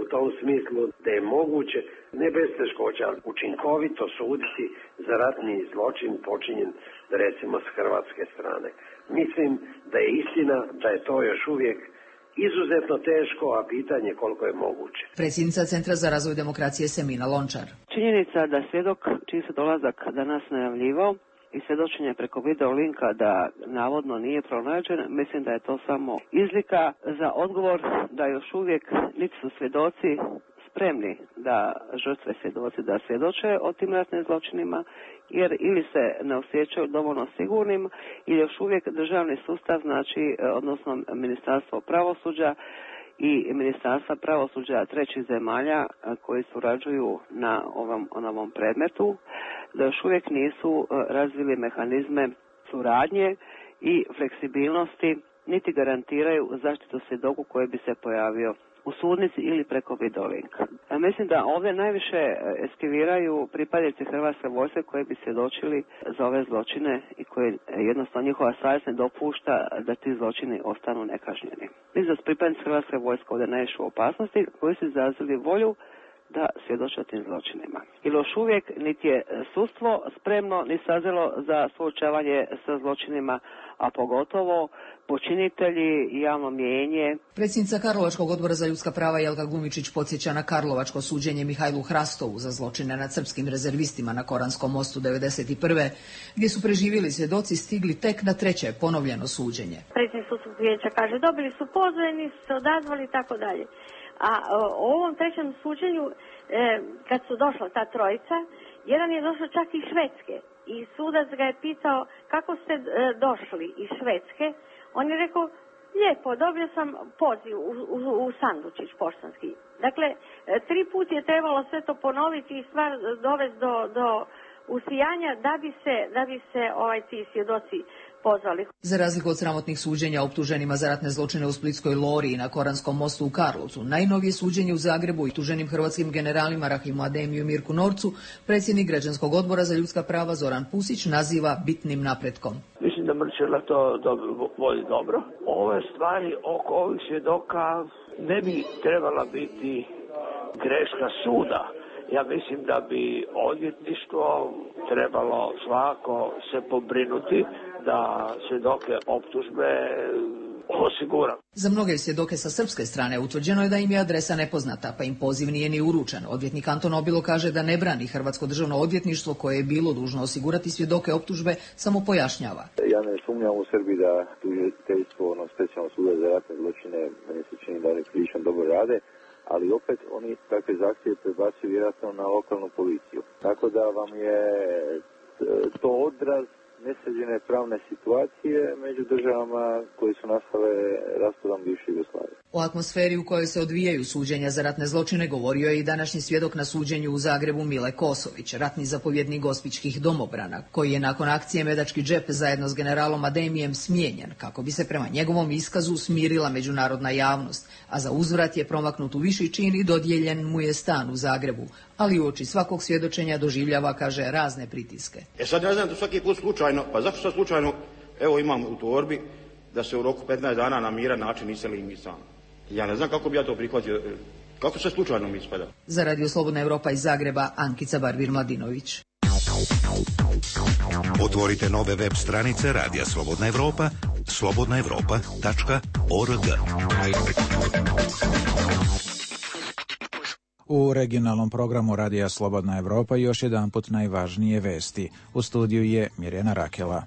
u tom smislu da je moguće ne bez teškoća učinkovito suditi za ratni zločin počinjen recimo s hrvatske strane. Mislim da je istina da je to još uvijek izuzetno teško, a pitanje koliko je moguće. Predsjednica Centra za razvoj demokracije Semina Lončar. Činjenica da svjedok čiji se dolazak danas najavljivao i svjedočenje preko video linka da navodno nije pronađen, mislim da je to samo izlika za odgovor da još uvijek niti su svjedoci spremni da žrtve svjedoci da svjedoče o tim ratnim zločinima, jer ili se ne osjećaju dovoljno sigurnim ili još uvijek državni sustav, znači odnosno Ministarstvo pravosuđa i Ministarstva pravosuđa trećih zemalja koji surađuju na ovom, na ovom predmetu, da još uvijek nisu razvili mehanizme suradnje i fleksibilnosti, niti garantiraju zaštitu svjedoku koji bi se pojavio u sudnici ili preko videolinka. Mislim da ovdje najviše eskiviraju pripadnici Hrvatske vojske koji bi svjedočili za ove zločine i koji jednostavno njihova savjest ne dopušta da ti zločini ostanu nekažnjeni. Mislim da su pripadnici Hrvatske vojske ovdje najviše u opasnosti koji su izrazili volju da svjedoče o tim zločinima. Ili još uvijek niti je sudstvo spremno ni sazrelo za suočavanje sa zločinima, a pogotovo počinitelji i javno mijenje. Predsjednica Karlovačkog odbora za ljudska prava Jelka Glumičić podsjeća na karlovačko suđenje Mihajlu Hrastovu za zločine nad srpskim rezervistima na Koranskom mostu devedeset prve gdje su preživjeli svjedoci stigli tek na treće ponovljeno suđenje. Predsjednik sudskog vijeća kaže dobili su pozvani, nisu se odazvali i tako dalje. A o ovom trećem suđenju, e, kad su došla ta trojica, jedan je došao čak iz Švedske i sudac ga je pitao kako ste e, došli iz Švedske. On je rekao, lijepo, dobio sam poziv u, u, u sandučić poštanski. Dakle, e, tri put je trebalo sve to ponoviti i stvar dovesti do, do usijanja da bi se, da bi se ovaj, ti svjedoci pozvali. Za razliku od sramotnih suđenja optuženima za ratne zločine u Splitskoj Lori i na Koranskom mostu u Karlovcu, najnovije suđenje u Zagrebu i tuženim hrvatskim generalima Rahimu Ademiju i Mirku Norcu, predsjednik Građanskog odbora za ljudska prava Zoran Pusić naziva bitnim napretkom. Mislim da Mrčela to dobro, vodi dobro. Ove stvari oko ovih svjedoka ne bi trebala biti greška suda. Ja mislim da bi odvjetništvo trebalo svako se pobrinuti da svjedoke optužbe osigura. Za mnoge svjedoke sa srpske strane utvrđeno je da im je adresa nepoznata, pa im poziv nije ni uručen. Odvjetnik Anton Obilo kaže da ne brani Hrvatsko državno odvjetništvo koje je bilo dužno osigurati svjedoke optužbe, samo pojašnjava. Ja ne sumnjam u Srbiji da tužiteljstvo, ono specijalno suda za ratne zločine, meni se čini da oni prilično dobro rade, ali opet oni takve zahtjeve prebacuju vjerojatno na lokalnu policiju. Tako da vam je to odraz nesređene pravne situacije među državama koje su nastale raspadom bivše Jugoslavije. O atmosferi u kojoj se odvijaju suđenja za ratne zločine govorio je i današnji svjedok na suđenju u Zagrebu Mile Kosović, ratni zapovjednik gospićkih domobrana, koji je nakon akcije Medački džep zajedno s generalom Ademijem smijenjen, kako bi se prema njegovom iskazu smirila međunarodna javnost, a za uzvrat je promaknut u viši čin i dodijeljen mu je stan u Zagrebu, ali uoči svakog svjedočenja doživljava, kaže, razne pritiske. E sad ne znam da svaki put slučajno, pa zašto sad slučajno, evo imam u torbi da se u roku petnaest dana na miran način iseli mi sam. Ja ne znam kako bi ja to prihvatio, kako se slučajno mi ispada. Za Radio Slobodna Evropa iz Zagreba, Ankica Barbir-Mladinović. Otvorite nove web stranice Radija Slobodna Evropa, slobodna evropa tačka org. U regionalnom programu Radija Slobodna Evropa još jedanput najvažnije vesti. U studiju je Mirjana Rakela.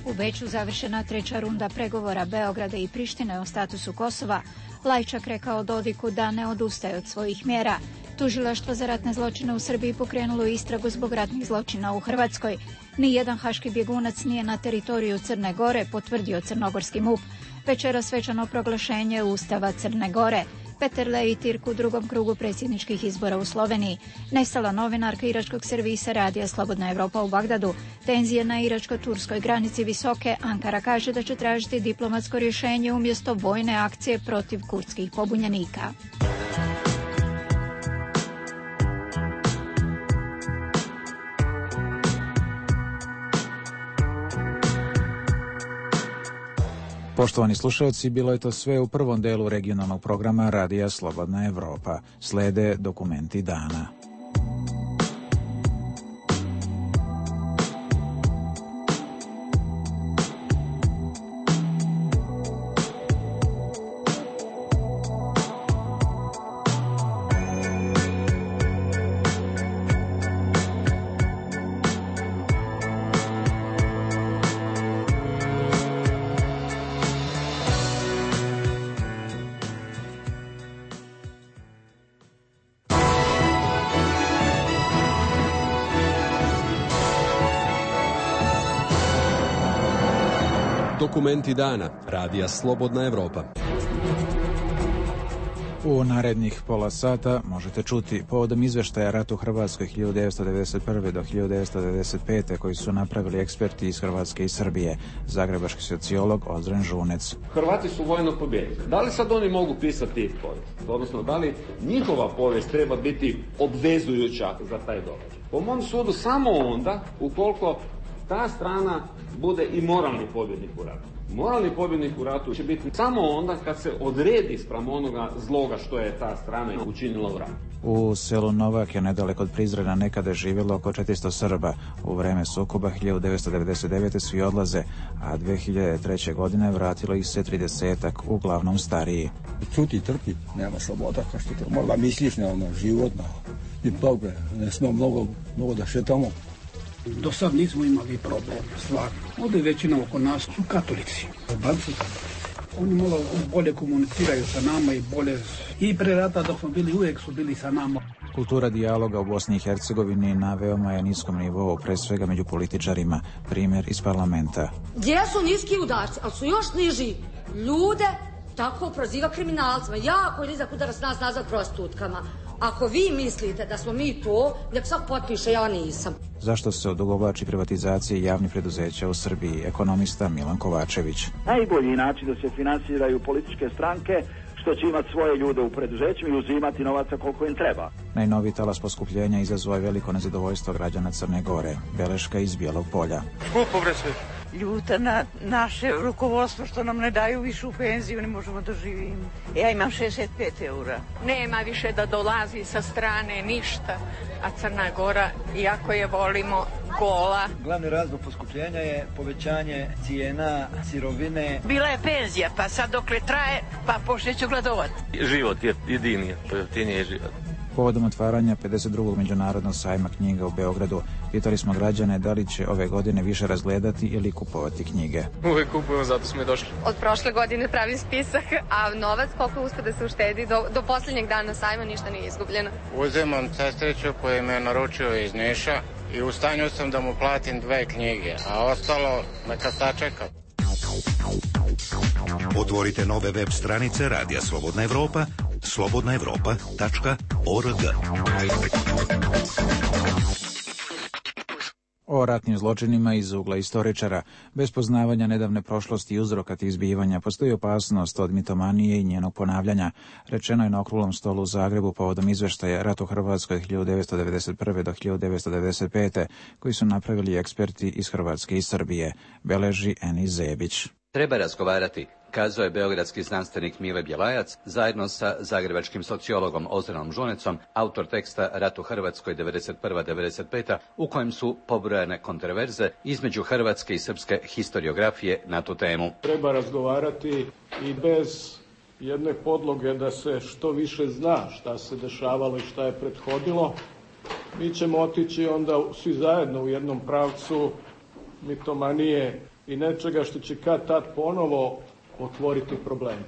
U Beču završena treća runda pregovora Beograda i Prištine o statusu Kosova. Lajčak rekao Dodiku da ne odustaje od svojih mjera. Tužilaštvo za ratne zločine u Srbiji pokrenulo istragu zbog ratnih zločina u Hrvatskoj. Nijedan haški bjegunac nije na teritoriju Crne Gore, potvrdio crnogorski M U P. Večera svečano proglašenje Ustava Crne Gore. Peterle i Tirk u drugom krugu predsjedničkih izbora u Sloveniji. Nestala novinarka iračkog servisa Radija Slobodna Evropa u Bagdadu. Tenzije na iračko-turskoj granici visoke. Ankara kaže da će tražiti diplomatsko rješenje umjesto vojne akcije protiv kurdskih pobunjenika. Poštovani slušalci, bilo je to sve u prvom delu regionalnog programa Radija Slobodna Evropa. Slede dokumenti dana. Dokumenti dana. Radija Slobodna Evropa. U narednih pola sata možete čuti povodom izveštaja ratu u Hrvatskoj hiljadu devetsto devedeset prve do hiljadu devetsto devedeset pete koji su napravili eksperti iz Hrvatske i Srbije. Zagrebački sociolog Ozren Žunec. Hrvati su vojno pobijedili. Da li sad oni mogu pisati povijest? Odnosno, da li njihova povijest treba biti obvezujuća za taj događaj? Po mom sudu samo onda ukoliko ta strana bude i moralni pobjednik u ratu. Moralni pobjednik u ratu će biti samo onda kad se odredi spram onoga zloga što je ta strana učinila u ratu. U selu Novak je nedaleko od Prizrena nekada živjelo oko četiristo Srba. U vreme sukoba hiljadu devetsto devedeset devete svi odlaze, a dve hiljade treće. godine vratilo ih se tridesetak, uglavnom stariji. Čuti, trpi, nema sloboda, kao što to možda misliš na ono životno. I dobro, ne smo mnogo, mnogo da šetamo. Do sad nismo imali problem, stvarno. Ovdje većina oko nas su katolici, albanci. Oni malo bolje komuniciraju sa nama i bolje... I pre rata dok smo bili, uvijek su bili sa nama. Kultura dijaloga u Bosni i Hercegovini na veoma je niskom nivou, pre svega među političarima. Primjer iz parlamenta. Jesu niski udarci, ali su još niži ljude tako proziva kriminalcima. Jako je nizak udarac nas nazad prostitutkama. Ako vi mislite da smo mi to, nek sad potpiše, ja nisam. Zašto se odugovlači privatizacije javnih preduzeća u Srbiji? Ekonomista Milan Kovačević. Najbolji način da se finansiraju političke stranke što će imati svoje ljude u preduzećima i uzimati novaca koliko im treba. Najnoviji talas poskupljenja izazvao je veliko nezadovoljstvo građana Crne Gore. Beleška iz Bijelog Polja. Skupo bre sve. Ljuta na naše rukovodstvo što nam ne daju višu penziju, ne možemo da živimo. Ja imam šezdeset pet eura. Nema više da dolazi sa strane ništa, a Crna Gora, iako je volimo, gola. Glavni razlog poskupljenja je povećanje cijena sirovine. Bila je penzija, pa sad dokle traje, pa počneću gladovati. Život je jedini, pojeftinije život. Povodom otvaranja pedeset drugog međunarodnog sajma knjiga u Beogradu, pitali smo građane da li će ove godine više razgledati ili kupovati knjige. Uvijek kupujemo, zato smo i došli. Od prošle godine pravim spisak, a novac koliko uspe da se uštedi, do, do posljednjeg dana sajma ništa nije izgubljeno. Uzemam sestriću koji me naručio iz Niša i u stanju sam da mu platim dve knjige, a ostalo neka sačeka. Otvorite nove web stranice Radija Slobodna Evropa, slobodna evropa tačka org. O ratnim zločinima iz ugla istoričara. Bez poznavanja nedavne prošlosti i uzroka tih zbivanja postoji opasnost od mitomanije i njenog ponavljanja. Rečeno je na okruglom stolu u Zagrebu povodom izveštaja Rat u Hrvatskoj hiljadu devetsto devedeset prve do hiljadu devetsto devedeset pete koji su napravili eksperti iz Hrvatske i Srbije. Beleži Eni Zebić. Treba razgovarati, kazao je beogradski znanstvenik Mile Bjelajac zajedno sa zagrebačkim sociologom Ozrenom Žunecom, autor teksta Rat u Hrvatskoj devedeset prva do devedeset peta u kojem su pobrojane kontroverze između hrvatske i srpske historiografije na tu temu. Treba razgovarati i bez jedne podloge da se što više zna šta se dešavalo i šta je prethodilo. Mi ćemo otići onda svi zajedno u jednom pravcu mitomanije i nečega što će kad tad ponovo otvoriti probleme.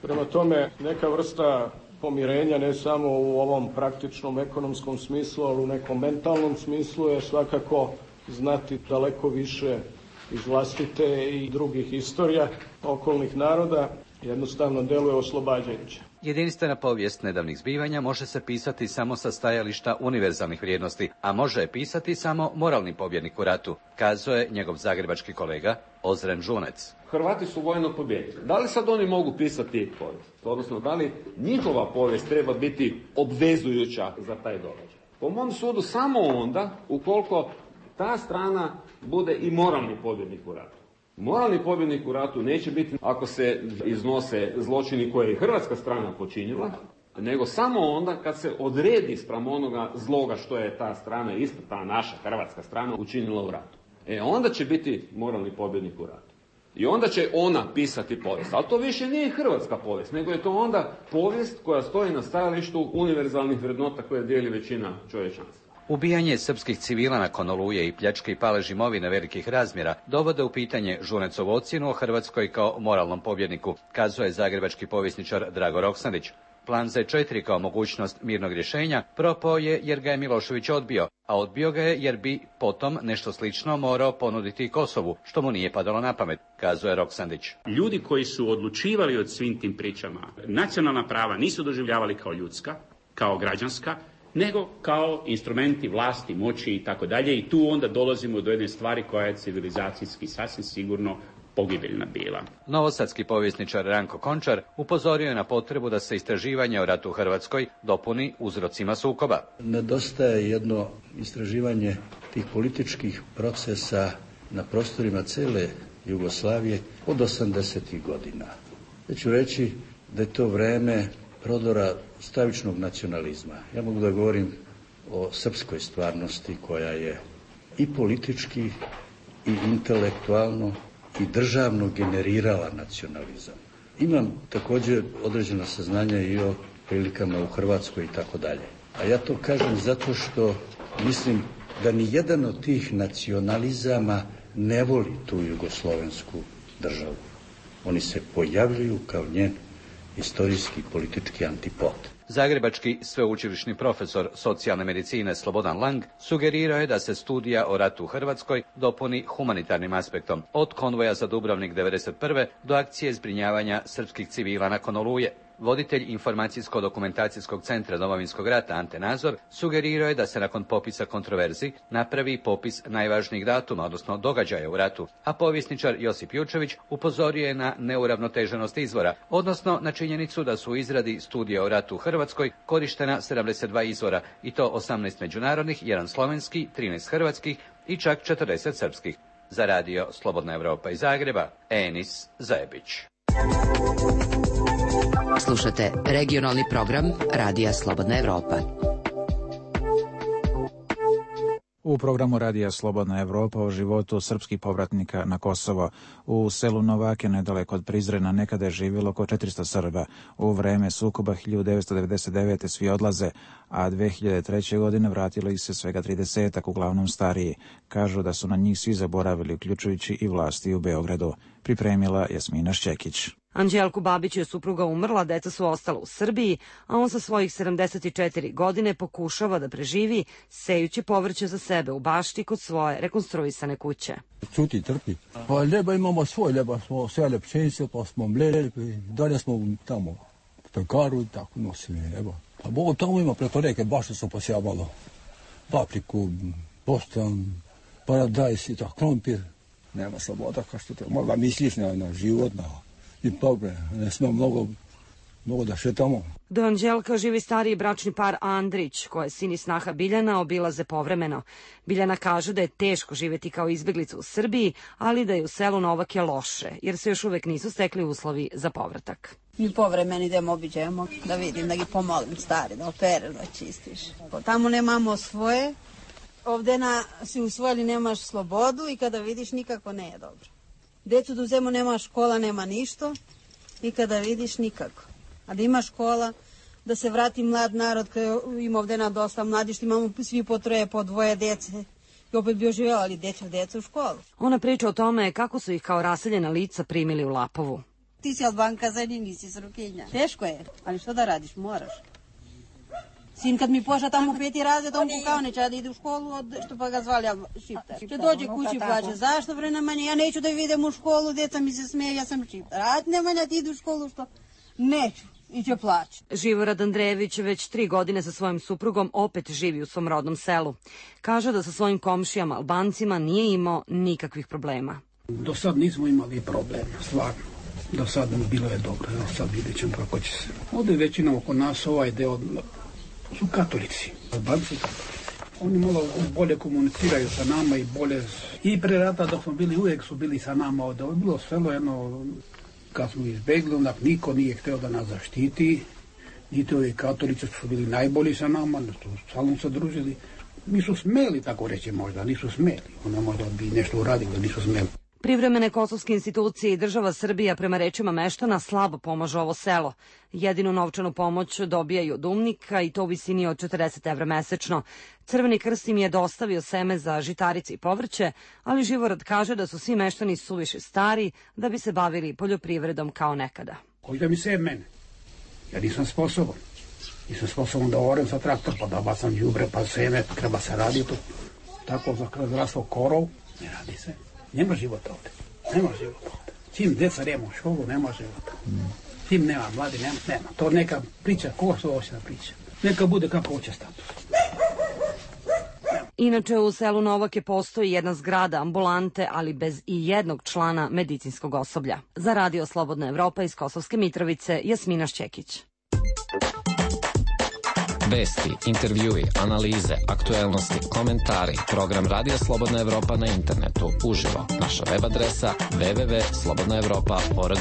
Prema tome, neka vrsta pomirenja, ne samo u ovom praktičnom ekonomskom smislu, ali u nekom mentalnom smislu je svakako znati daleko više iz vlastite i drugih istorija okolnih naroda, jednostavno deluje oslobađajuće. Jedinstvena povijest nedavnih zbivanja može se pisati samo sa stajališta univerzalnih vrijednosti, a može je pisati samo moralni pobjednik u ratu, kazao je njegov zagrebački kolega Ozren Žunec. Hrvati su vojno pobijedili. Da li sad oni mogu pisati povijest? Odnosno, da li njihova povijest treba biti obvezujuća za taj događaj? Po mom sudu samo onda ukoliko ta strana bude i moralni pobjednik u ratu. Moralni pobjednik u ratu neće biti ako se iznose zločini koje je hrvatska strana počinila, nego samo onda kad se odredi spram onoga zloga što je ta strana, isto ta naša hrvatska strana, učinila u ratu. E onda će biti moralni pobjednik u ratu. I onda će ona pisati povijest. Ali to više nije hrvatska povijest, nego je to onda povijest koja stoji na stajalištu univerzalnih vrednota koje dijeli većina čovječanstva. Ubijanje srpskih civila nakon Oluje i pljačke i palež imovine velikih razmjera dovode u pitanje Žunecovu ocjenu o Hrvatskoj kao moralnom pobjedniku, kazuje zagrebački povjesničar Drago Roksandić. Plan Z četiri kao mogućnost mirnog rješenja propao je jer ga je Milošević odbio, a odbio ga je jer bi potom nešto slično morao ponuditi Kosovu, što mu nije padalo na pamet, kazuje Roksandić. Ljudi koji su odlučivali o svim tim pričama, nacionalna prava nisu doživljavali kao ljudska, kao građanska, nego kao instrumenti vlasti, moći i tako dalje. I tu onda dolazimo do jedne stvari koja je civilizacijski sasvim sigurno pogibeljna bila. Novosadski povjesničar Ranko Končar upozorio je na potrebu da se istraživanje o ratu u Hrvatskoj dopuni uzrocima sukoba. Nedostaje jedno istraživanje tih političkih procesa na prostorima cele Jugoslavije od osamdesetih godina. Ja ću reći da je to vreme prodora stravičnog nacionalizma. Ja mogu da govorim o srpskoj stvarnosti koja je i politički i intelektualno i državno generirala nacionalizam. Imam također određena saznanja i o prilikama u Hrvatskoj i tako dalje. A ja to kažem zato što mislim da ni jedan od tih nacionalizama ne voli tu jugoslovensku državu. Oni se pojavljuju kao njen istorijski politički antipod. Zagrebački sveučilišni profesor socijalne medicine Slobodan Lang sugerirao je da se studija o ratu u Hrvatskoj dopuni humanitarnim aspektom, od konvoja za Dubrovnik devedeset prve do akcije zbrinjavanja srpskih civila nakon Oluje. Voditelj Informacijsko-dokumentacijskog centra Domovinskog rata Ante Nazor sugerirao je da se nakon popisa kontroverzi napravi popis najvažnijih datuma, odnosno događaja u ratu, a povjesničar Josip Jučević upozorio je na neuravnoteženost izvora, odnosno na činjenicu da su u izradi studija o ratu u Hrvatskoj korištena sedamdeset dva izvora, i to osamnaest međunarodnih, jedan slovenski, trinaest hrvatskih i čak četrdeset srpskih. Za radio Slobodna Evropa iz Zagreba, Enis Zajebić. Slušate regionalni program Radija Slobodna Evropa. U programu Radija Slobodna Evropa o životu srpskih povratnika na Kosovo. U selu Novake, nedaleko od Prizrena, nekada je živjelo oko četiristo Srba. U vreme sukoba hiljadu devetsto devedeset devete svi odlaze, a dve hiljade treće. godine vratilo ih se svega tridesetak, uglavnom stariji. Kažu da su na njih svi zaboravili, uključujući i vlasti u Beogradu. Pripremila Jasmina Šćekić. Anđelku Babiću je supruga umrla, deca su ostala u Srbiji, a on sa svojih sedamdeset četiri godine pokušava da preživi, sejući povrće za sebe u bašti kod svoje rekonstruisane kuće. Čuti, trpi. Pa ljeba imamo svoj, ljeba smo sele pšenice, pa smo mleli, dalje smo tamo u pekaru i tako nosili, evo. Pa Bogu tamo ima preko reke, bašte su posjavalo papriku, bostan, paradajs i tako, krompir. Nema sloboda, kao što te, možda misliš na, na život, na... I pobre, ne smemo mnogo, mnogo da šetamo. Do Anđelka živi stariji bračni par Andrić, koje sin i snaha Biljana obilaze povremeno. Biljana kaže da je teško živjeti kao izbjeglica u Srbiji, ali da je u selu Novake loše, jer se još uvek nisu stekli uslovi za povratak. Mi povremeno idemo, obiđemo, da vidim, da gi pomolim stari, da opere, da čistiš. Tamo nemamo svoje, ovdje na, si usvojili, nemaš slobodu i kada vidiš nikako ne je dobro. Decu da uzemo, nema škola, nema ništa i kada vidiš nikako. A da ima škola, da se vrati mlad narod, koji ima ovdje na dosta mladi, što imamo svi po troje, po dvoje djece i opet bi oživjeli decu, decu u školu. Ona priča o tome kako su ih kao raseljena lica primili u Lapovu. Ti si Albanka, za njih nisi Srokinja. Teško je, ali što da radiš, moraš. Sin kad mi pošla tamo u peti razred, on kukao neće da ide u školu, od, što pa ga zvali Šiptar. Če dođe kući plaće, zašto bre Nemanja, ja neću da idem u školu, djeca mi se smeje, ja sam Šiptar. A Nemanja ti ide u školu, što? Neću. I će plaći. Živorad Andrejević već tri godine sa svojim suprugom opet živi u svom rodnom selu. Kaže da sa svojim komšijama Albancima nije imao nikakvih problema. Do sad nismo imali problema, stvarno. Do sad bilo je dobro, do sad vidjet ćemo kako će se. Ovdje većina oko nas ovaj deo su katolici, Albanci katolici. Oni malo bolje komuniciraju sa nama i bolje... I pre rata dok smo bili, uvijek su bili sa nama ovdje. Ovo je bilo selo jedno... Kad smo izbegli, onda niko nije htio da nas zaštiti, niti ovi katolici su bili najbolji sa nama, stalno se družili. Nisu smeli, tako reći možda, nisu smeli. Onda možda bi nešto uradili, nisu smeli. Privremene kosovske institucije i država Srbija prema rečima meštana slabo pomažu ovo selo. Jedinu novčanu pomoć dobijaju od umnika i to u visini od četrdeset evra mesečno. Crveni krst im je dostavio seme za žitarice i povrće, ali Živorad kaže da su svi meštani suviše stari da bi se bavili poljoprivredom kao nekada. Koji da mi se mene? Ja nisam sposoban. Nisam sposoban da orem sa traktor, pa da bacam đubre, pa seme, treba se raditi. Tako za zdravstvo korov, ne radi se. Nema života ovdje. Nema života ovdje. Čim djeca nema u školu, nema života. Čim nema mladi, nema, nema. To neka priča, ko što hoće da priča. Neka bude kako hoće status. Inače, u selu Novake postoji jedna zgrada ambulante, ali bez i jednog člana medicinskog osoblja. Za Radio Slobodna Evropa iz Kosovske Mitrovice, Jasmina Šćekić. Vesti, intervjui, analize, aktuelnosti, komentari, program Radija Slobodna Evropa na internetu, uživo, naša web adresa w w w tačka slobodna evropa tačka org.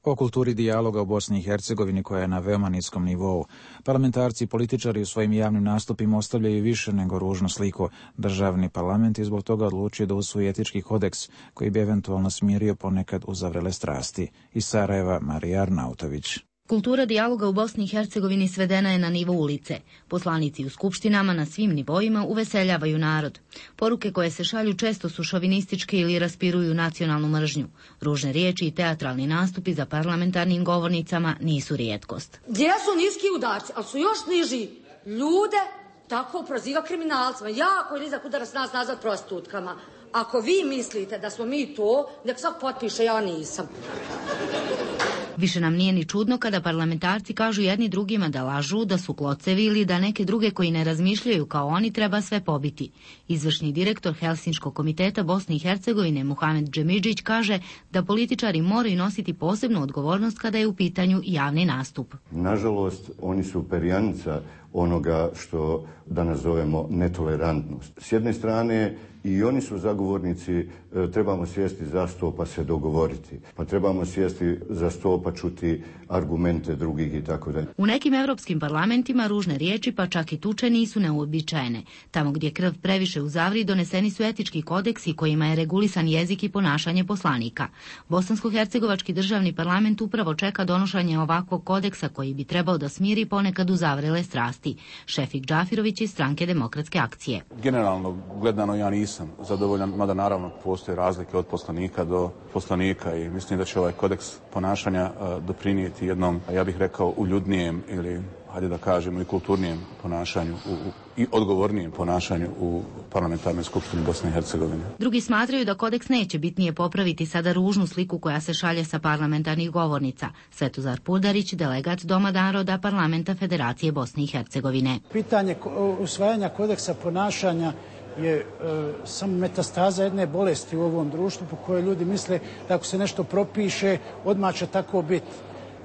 O kulturi dijaloga u Bosni i Hercegovini koja je na veoma niskom nivou. Parlamentarci i političari u svojim javnim nastupima ostavljaju više nego ružnu sliku. Državni parlament je zbog toga odlučio da usvoji etički kodeks koji bi eventualno smirio ponekad uzavrele strasti. Iz Sarajeva, Marija Arnautović. Kultura dijaloga u Bosni i Hercegovini svedena je na nivo ulice. Poslanici u skupštinama na svim nivoima uveseljavaju narod. Poruke koje se šalju često su šovinističke ili raspiruju nacionalnu mržnju. Ružne riječi i teatralni nastupi za parlamentarnim govornicama nisu rijetkost. Gdje su niski udarci, ali su još niži ljude, tako proziva kriminalcima. Jako je nizak udarac nas nazad prostitutkama. Ako vi mislite da smo mi to, nek svak potpiše, ja nisam. Više nam nije ni čudno kada parlamentarci kažu jedni drugima da lažu, da su klocevi ili da neke druge koji ne razmišljaju kao oni treba sve pobiti. Izvršni direktor Helsinškog komiteta Bosne i Hercegovine Muhamed Džemidžić kaže da političari moraju nositi posebnu odgovornost kada je u pitanju javni nastup. Nažalost, oni su perjanica onoga što da nazovemo netolerantnost. S jedne strane i oni su zagovornici, e, trebamo sjesti za sto pa se dogovoriti. Pa trebamo sjesti za sto pa čuti argumente drugih i tako dalje. U nekim evropskim parlamentima ružne riječi pa čak i tuče nisu neuobičajene. Tamo gdje krv previše uzavri doneseni su etički kodeksi kojima je regulisan jezik i ponašanje poslanika. Bosansko-hercegovački državni parlament upravo čeka donošenje ovakvog kodeksa koji bi trebao da smiri ponekad uzavrele strasti. Šefik Džafirović iz stranke Demokratske akcije. Generalno gledano ja nisam zadovoljan, mada naravno postoje razlike od poslanika do poslanika i mislim da će ovaj kodeks ponašanja uh, doprinijeti jednom, ja bih rekao, uljudnijem ili, hajde da kažemo, i kulturnijem ponašanju u, u, i odgovornijem ponašanju u parlamentarnoj skupštini Bosne i Hercegovine. Drugi smatraju da kodeks neće bitnije popraviti sada ružnu sliku koja se šalje sa parlamentarnih govornica. Svetozar Pudarić, delegat Doma naroda Parlamenta Federacije Bosne i Hercegovine. Pitanje usvajanja kodeksa ponašanja je e, samo metastaza jedne bolesti u ovom društvu po kojoj ljudi misle da ako se nešto propiše, odmah će tako biti.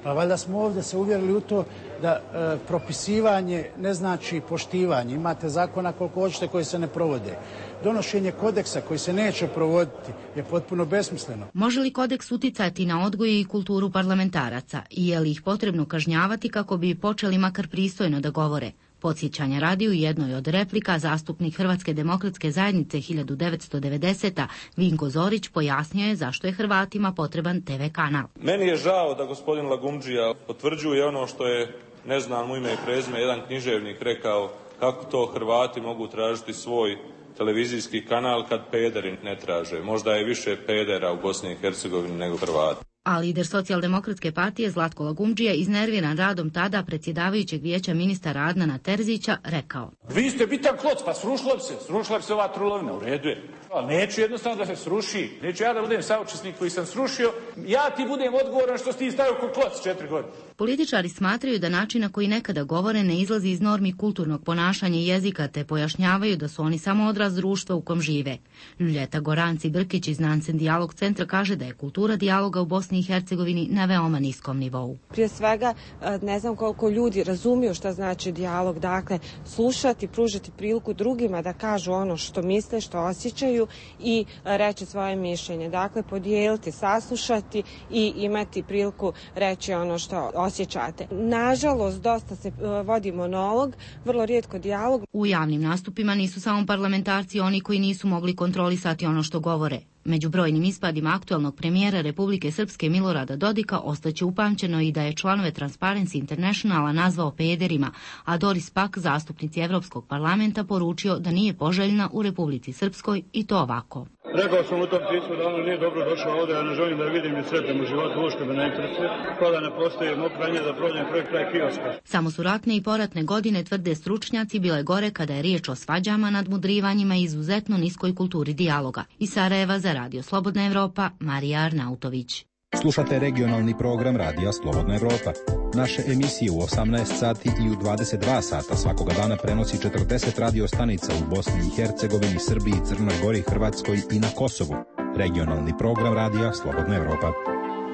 Pa valjda smo ovdje se uvjerili u to da e, propisivanje ne znači poštivanje. Imate zakona koliko hoćete koji se ne provode. Donošenje kodeksa koji se neće provoditi je potpuno besmisleno. Može li kodeks uticati na odgoj i kulturu parlamentaraca i je li ih potrebno kažnjavati kako bi počeli makar pristojno da govore? Podsjećanja radi u jednoj od replika zastupnik Hrvatske demokratske zajednice hiljadu devetsto devedesete. Vinko Zorić pojasnio je zašto je Hrvatima potreban te ve kanal. Meni je žao da gospodin Lagumdžija potvrđuje ono što je, ne znam u ime i prezime, jedan književnik rekao kako to Hrvati mogu tražiti svoj televizijski kanal kad pederi ne traže. Možda je više pedera u Bosni i Hercegovini nego Hrvata. A lider Socijaldemokratske partije Zlatko Lagumdžija, iznerviran radom tada predsjedavajućeg vijeća ministara Adnana Terzića, rekao: Vi ste bitan kloc, pa srušila bi se, srušila bi se ova trulovina, u redu je. Ali neću jednostavno da se sruši, neću ja da budem saučesnik koji sam srušio, ja ti budem odgovoran što si ti stavio ko kloc četiri godine. Političari smatraju da način na koji nekada govore ne izlazi iz normi kulturnog ponašanja i jezika, te pojašnjavaju da su oni samo odraz društva u kom žive. Ljuljeta Goranci Brkić iz Nansen Dijalog centra kaže da je kultura dijaloga u Bosni i Hercegovini na veoma niskom nivou. Prije svega, ne znam koliko ljudi razumiju šta znači dijalog, dakle, slušati, pružiti priliku drugima da kažu ono što misle, što osjećaju i reći svoje mišljenje. Dakle, podijeliti, saslušati i imati priliku reći ono što osjećate. Nažalost, dosta se vodi monolog, vrlo rijetko dijalog. U javnim nastupima nisu samo parlamentarci oni koji nisu mogli kontrolisati ono što govore. Među brojnim ispadima aktuelnog premijera Republike Srpske Milorada Dodika ostaće upamćeno i da je članove Transparency Internationala nazvao pederima, a Doris Pak, zastupnici Evropskog parlamenta, poručio da nije poželjna u Republici Srpskoj i to ovako. Rekao sam u tom pismu da ono nije dobro došao ovdje, ja ne želim da vidim i sretnem u životu, ušte me ne interesuje, pa da ne postoji mokraње da prođem projekt kraj kioska. Samo su ratne i poratne godine, tvrde stručnjaci, bile gore kada je riječ o svađama, nadmudrivanjima i izuzetno niskoj kulturi dijaloga. Iz Sarajeva za Radio Slobodna Evropa, Marija Arnautović. Slušate regionalni program Radija Slobodna Evropa. Naše emisije u osamnaest sati i u dvadeset dva sata svakoga dana prenosi četrdeset radio stanica u Bosni i Hercegovini, Srbiji, Crnoj Gori, Hrvatskoj i na Kosovu. Regionalni program Radija Slobodna Evropa.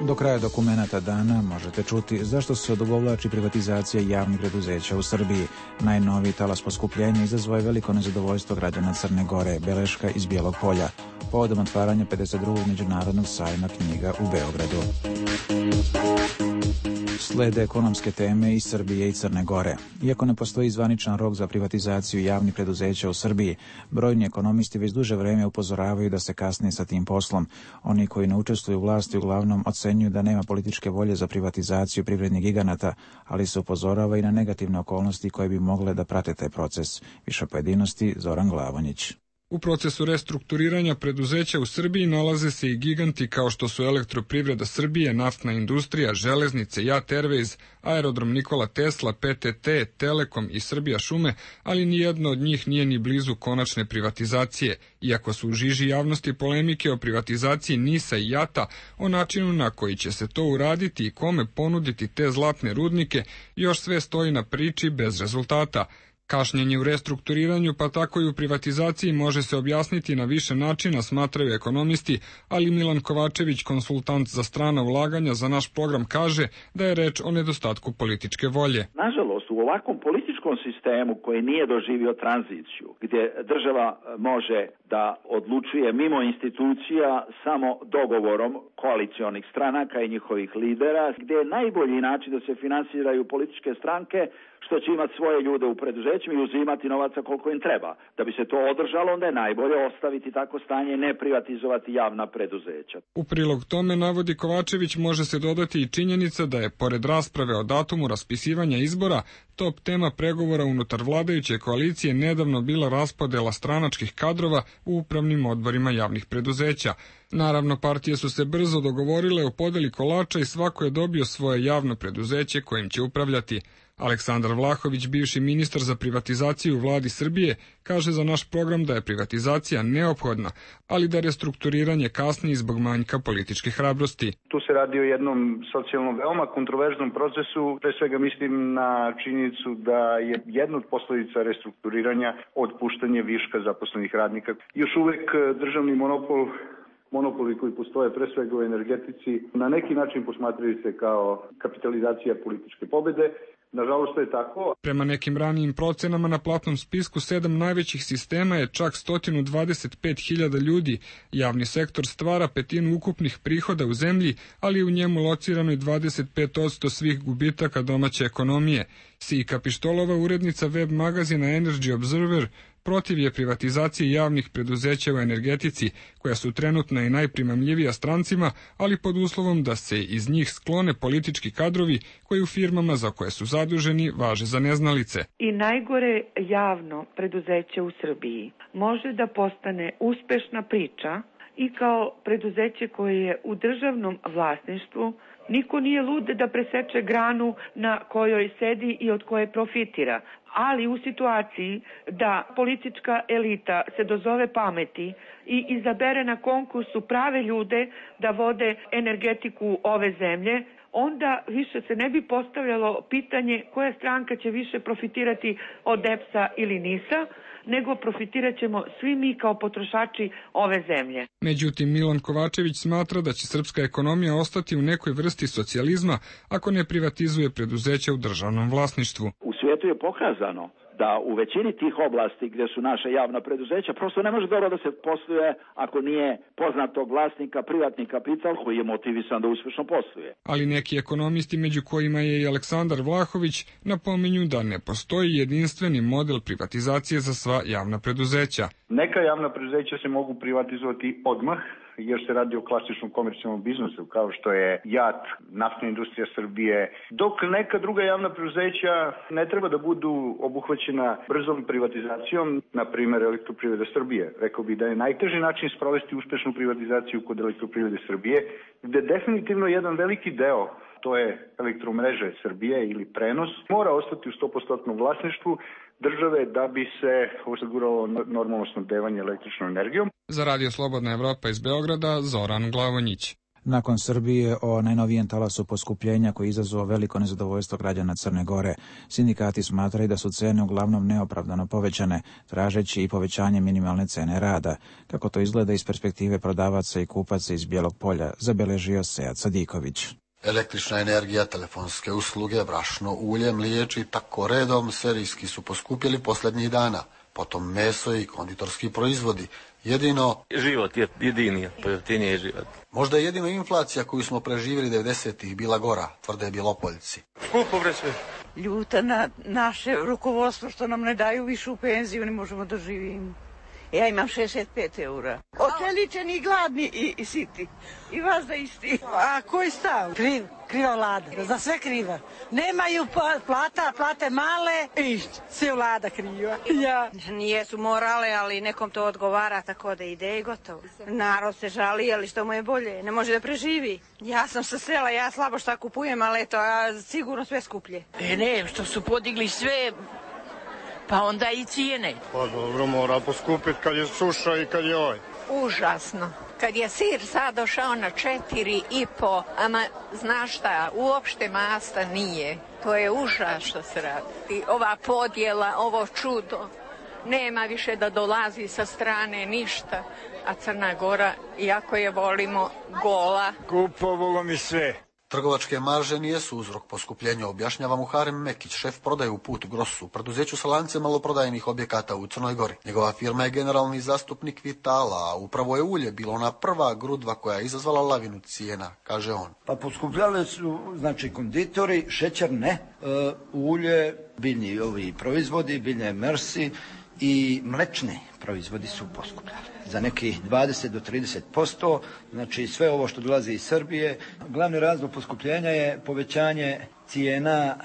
Do kraja dokumenata dana možete čuti zašto se odugovlači privatizacija javnih preduzeća u Srbiji. Najnoviji talas poskupljenja izazvao je veliko nezadovoljstvo građana Crne Gore, beleška iz Bijelog Polja, povodom otvaranja pedeset drugog međunarodnog sajma knjiga u Beogradu. Slede ekonomske teme iz Srbije i Crne Gore. Iako ne postoji zvaničan rok za privatizaciju javnih preduzeća u Srbiji, brojni ekonomisti već duže vreme upozoravaju da se kasni sa tim poslom. Oni koji ne učestvuju u vlasti uglavnom ocenjuju da nema političke volje za privatizaciju privrednih giganata, ali se upozorava i na negativne okolnosti koje bi mogle da prate taj proces. Više pojedinosti Zoran Glavonjić. U procesu restrukturiranja preduzeća u Srbiji nalaze se i giganti kao što su Elektroprivreda Srbije, Naftna industrija, Železnice, Jat Airways, Aerodrom Nikola Tesla, P T T, Telekom i Srbija šume, ali nijedno od njih nije ni blizu konačne privatizacije, iako su u žiži javnosti polemike o privatizaciji Nisa i Jata, o načinu na koji će se to uraditi i kome ponuditi te zlatne rudnike, još sve stoji na priči bez rezultata. Kašnjenje u restrukturiranju, pa tako i u privatizaciji, može se objasniti na više načina, smatraju ekonomisti, ali Milan Kovačević, konsultant za strana ulaganja za naš program, kaže da je reč o nedostatku političke volje. Nažalost, u ovakvom političkom sistemu koji nije doživio tranziciju, gdje država može da odlučuje mimo institucija samo dogovorom koalicionih stranaka i njihovih lidera, gdje je najbolji način da se finansiraju političke stranke, što će imati svoje ljude u preduzećima i uzimati novaca koliko im treba. Da bi se to održalo, onda je najbolje ostaviti tako stanje i ne privatizovati javna preduzeća. U prilog tome, navodi Kovačević, može se dodati i činjenica da je, pored rasprave o datumu raspisivanja izbora, top tema pregovora unutar vladajuće koalicije nedavno bila raspodela stranačkih kadrova u upravnim odborima javnih preduzeća. Naravno, partije su se brzo dogovorile o podeli kolača i svako je dobio svoje javno preduzeće kojim će upravljati. Aleksandar Vlahović, bivši ministar za privatizaciju u vladi Srbije, kaže za naš program da je privatizacija neophodna, ali da restrukturiranje kasni zbog manjka političke hrabrosti. Tu se radi o jednom socijalno veoma kontroverznom procesu, pre svega mislim na činjenicu da je jedna od posljedica restrukturiranja otpuštanje viška zaposlenih radnika. Još uvek državni monopol monopoli koji postoje pre svega u energetici na neki način posmatraju se kao kapitalizacija političke pobede. Nažalost, to je tako. Prema nekim ranijim procenama na platnom spisku sedam najvećih sistema je čak sto dvadeset pet hiljada ljudi. Javni sektor stvara petinu ukupnih prihoda u zemlji, ali je u njemu locirano i dvadeset pet posto svih gubitaka domaće ekonomije. Sika Pištolova, urednica web magazina Energy Observer, protiv je privatizacije javnih preduzeća u energetici, koja su trenutno i najprimamljivija strancima, ali pod uslovom da se iz njih sklone politički kadrovi koji u firmama za koje su zaduženi važe za neznalice. I najgore javno preduzeće u Srbiji može da postane uspešna priča i kao preduzeće koje je u državnom vlasništvu. Niko nije lud da preseče granu na kojoj sedi i od koje profitira, ali u situaciji da politička elita se dozove pameti i izabere na konkursu prave ljude da vode energetiku ove zemlje, onda više se ne bi postavljalo pitanje koja stranka će više profitirati od E P S-a ili NIS-a, nego profitirat ćemo svi mi kao potrošači ove zemlje. Međutim, Milan Kovačević smatra da će srpska ekonomija ostati u nekoj vrsti socijalizma ako ne privatizuje preduzeća u državnom vlasništvu. U svijetu je pokazano da u većini tih oblasti gdje su naša javna preduzeća prosto ne može dobro da se posluje ako nije poznatog vlasnika privatni kapital koji je motivisan da uspješno posluje. Ali neki ekonomisti, među kojima je i Aleksandar Vlahović, napominju da ne postoji jedinstveni model privatizacije za sva javna preduzeća. Neka javna preduzeća se mogu privatizovati odmah, jer se radi o klasičnom komercijalnom biznisu, kao što je JAT, Naftna industrija Srbije, dok neka druga javna preduzeća ne treba da budu obuhvaćena brzom privatizacijom, na primjer Elektroprivreda Srbije. Rekao bih da je najteži način sprovesti uspešnu privatizaciju kod Elektroprivrede Srbije, gde definitivno jedan veliki deo, to je elektromreže Srbije ili prenos, mora ostati u sto posto vlasništvu države da bi se osiguralo normalno snabdevanje električnom energijom. Za Radio Slobodna Evropa iz Beograda, Zoran Glavonjić. Nakon Srbije o najnovijem talasu poskupljenja koji izazvao veliko nezadovoljstvo građana Crne Gore, sindikati smatraju da su cene uglavnom neopravdano povećane, tražeći i povećanje minimalne cene rada. Kako to izgleda iz perspektive prodavaca i kupaca iz Bijelog Polja, zabeležio Sead Sadiković. Električna energija, telefonske usluge, brašno, ulje, mliječ i tako redom serijski su poskupjeli posljednjih dana. Potom meso i konditorski proizvodi. Jedino... Život je jedini, pojeftinije život. Možda je jedino inflacija koju smo preživjeli devedesetih bila gora, tvrde Bjelopoljci. Skupo bre sve. Ljuta na naše rukovodstvo što nam ne daju višu penziju, ne možemo da živimo. Ja imam šezdeset pet eura. Očeličeni, gladni i, i siti. I vas da isti. A koji stav? Kriv, kriva vlada. Za sve kriva. Nemaju plata, plate male i sve vlada kriva. Ja. Nijesu morale, ali nekom to odgovara, tako da ide i gotovo. Narod se žali, ali što mu je bolje. Ne može da preživi. Ja sam sa sela, ja slabo šta kupujem, ali eto, a sigurno sve skuplje. E ne, što su podigli sve... Pa onda i cijene. Pa dobro, mora poskupiti kad je suša i kad je ovaj. Užasno. Kad je sir sad došao na četiri i po, ama znaš šta, uopšte masta nije. To je užas što se radi. Ova podjela, ovo čudo, nema više da dolazi sa strane ništa. A Crna Gora, iako je volimo, gola. Kupovalo mi sve. Trgovačke marže nijesu uzrok poskupljenja, objašnjava Muharem Mekić, šef prodaje u Put Grosu, preduzeću sa lancem maloprodajnih objekata u Crnoj Gori. Njegova firma je generalni zastupnik Vitala, a upravo je ulje bilo ona prva grudva koja je izazvala lavinu cijena, kaže on. Pa poskupljale su, znači, konditori, šećer ne, e, ulje, biljni ovi proizvodi, biljne mersi i mlečni proizvodi su poskupljali za nekih dvadeset do trideset posto, znači sve ovo što dolazi iz Srbije. Glavni razlog poskupljenja je povećanje cijena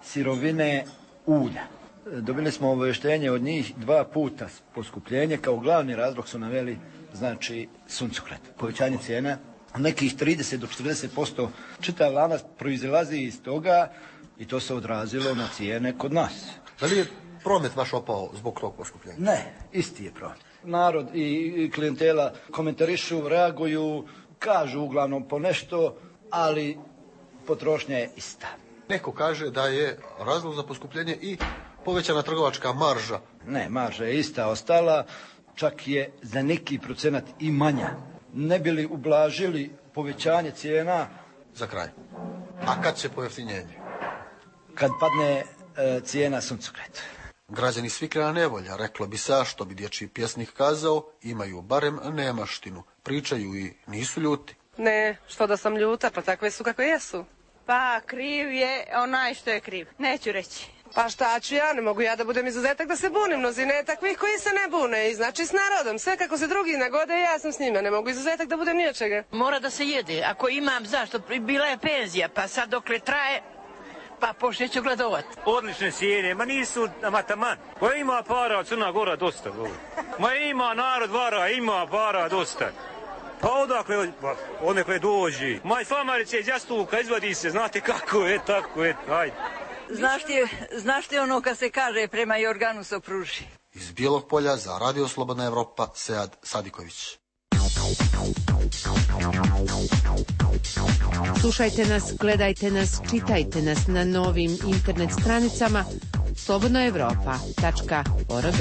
sirovine ulja. Dobili smo obavještenje od njih dva puta poskupljenje, kao glavni razlog su naveli, znači, suncokret. Povećanje cijena nekih trideset do četrdeset posto, čitav lanac proizilazi iz toga i to se odrazilo na cijene kod nas. Da li je promet vaš opao zbog tog poskupljenja? Ne, isti je promet. Narod i klijentela komentarišu, reaguju, kažu uglavnom po nešto, ali potrošnja je ista. Neko kaže da je razlog za poskupljenje i povećana trgovačka marža. Ne, marža je ista ostala, čak je za neki procenat i manja. Ne bi li ublažili povećanje cijena? Za kraj. A kad će pojeftinjenje? Kad padne e, cijena suncokreta. Građani Svikljana nevolja, reklo bi se, a što bi dječji pjesnik kazao, imaju barem nemaštinu, pričaju i nisu ljuti. Ne, što da sam ljuta, pa takve su kako jesu. Pa kriv je onaj što je kriv, neću reći. Pa šta ću ja, ne mogu ja da budem izuzetak da se bunim, mnozine je takvih koji se ne bune i znači s narodom, sve kako se drugi nagode, ja sam s njima, ne mogu izuzetak da budem ni od čega. Mora da se jede, ako imam zašto, bila je penzija, pa sad dokle traje, pa počne ću gladovat. Odlične cijene, ma nisu mataman. Ma ima para, Crna Gora dosta. Ma ima narod vara, ima para dosta. Pa odakle, odakle dođi. Maj famarice iz jastuka, izvadi se, znate kako je, tako je, ajde. Znaš ti, znaš ti ono kad se kaže prema Jorganu Sopruži? Iz Bijelog Polja za Radio Slobodna Evropa, Sead Sadiković. Slušajte nas, gledajte nas, čitajte nas na novim internet stranicama slobodna evropa tačka org.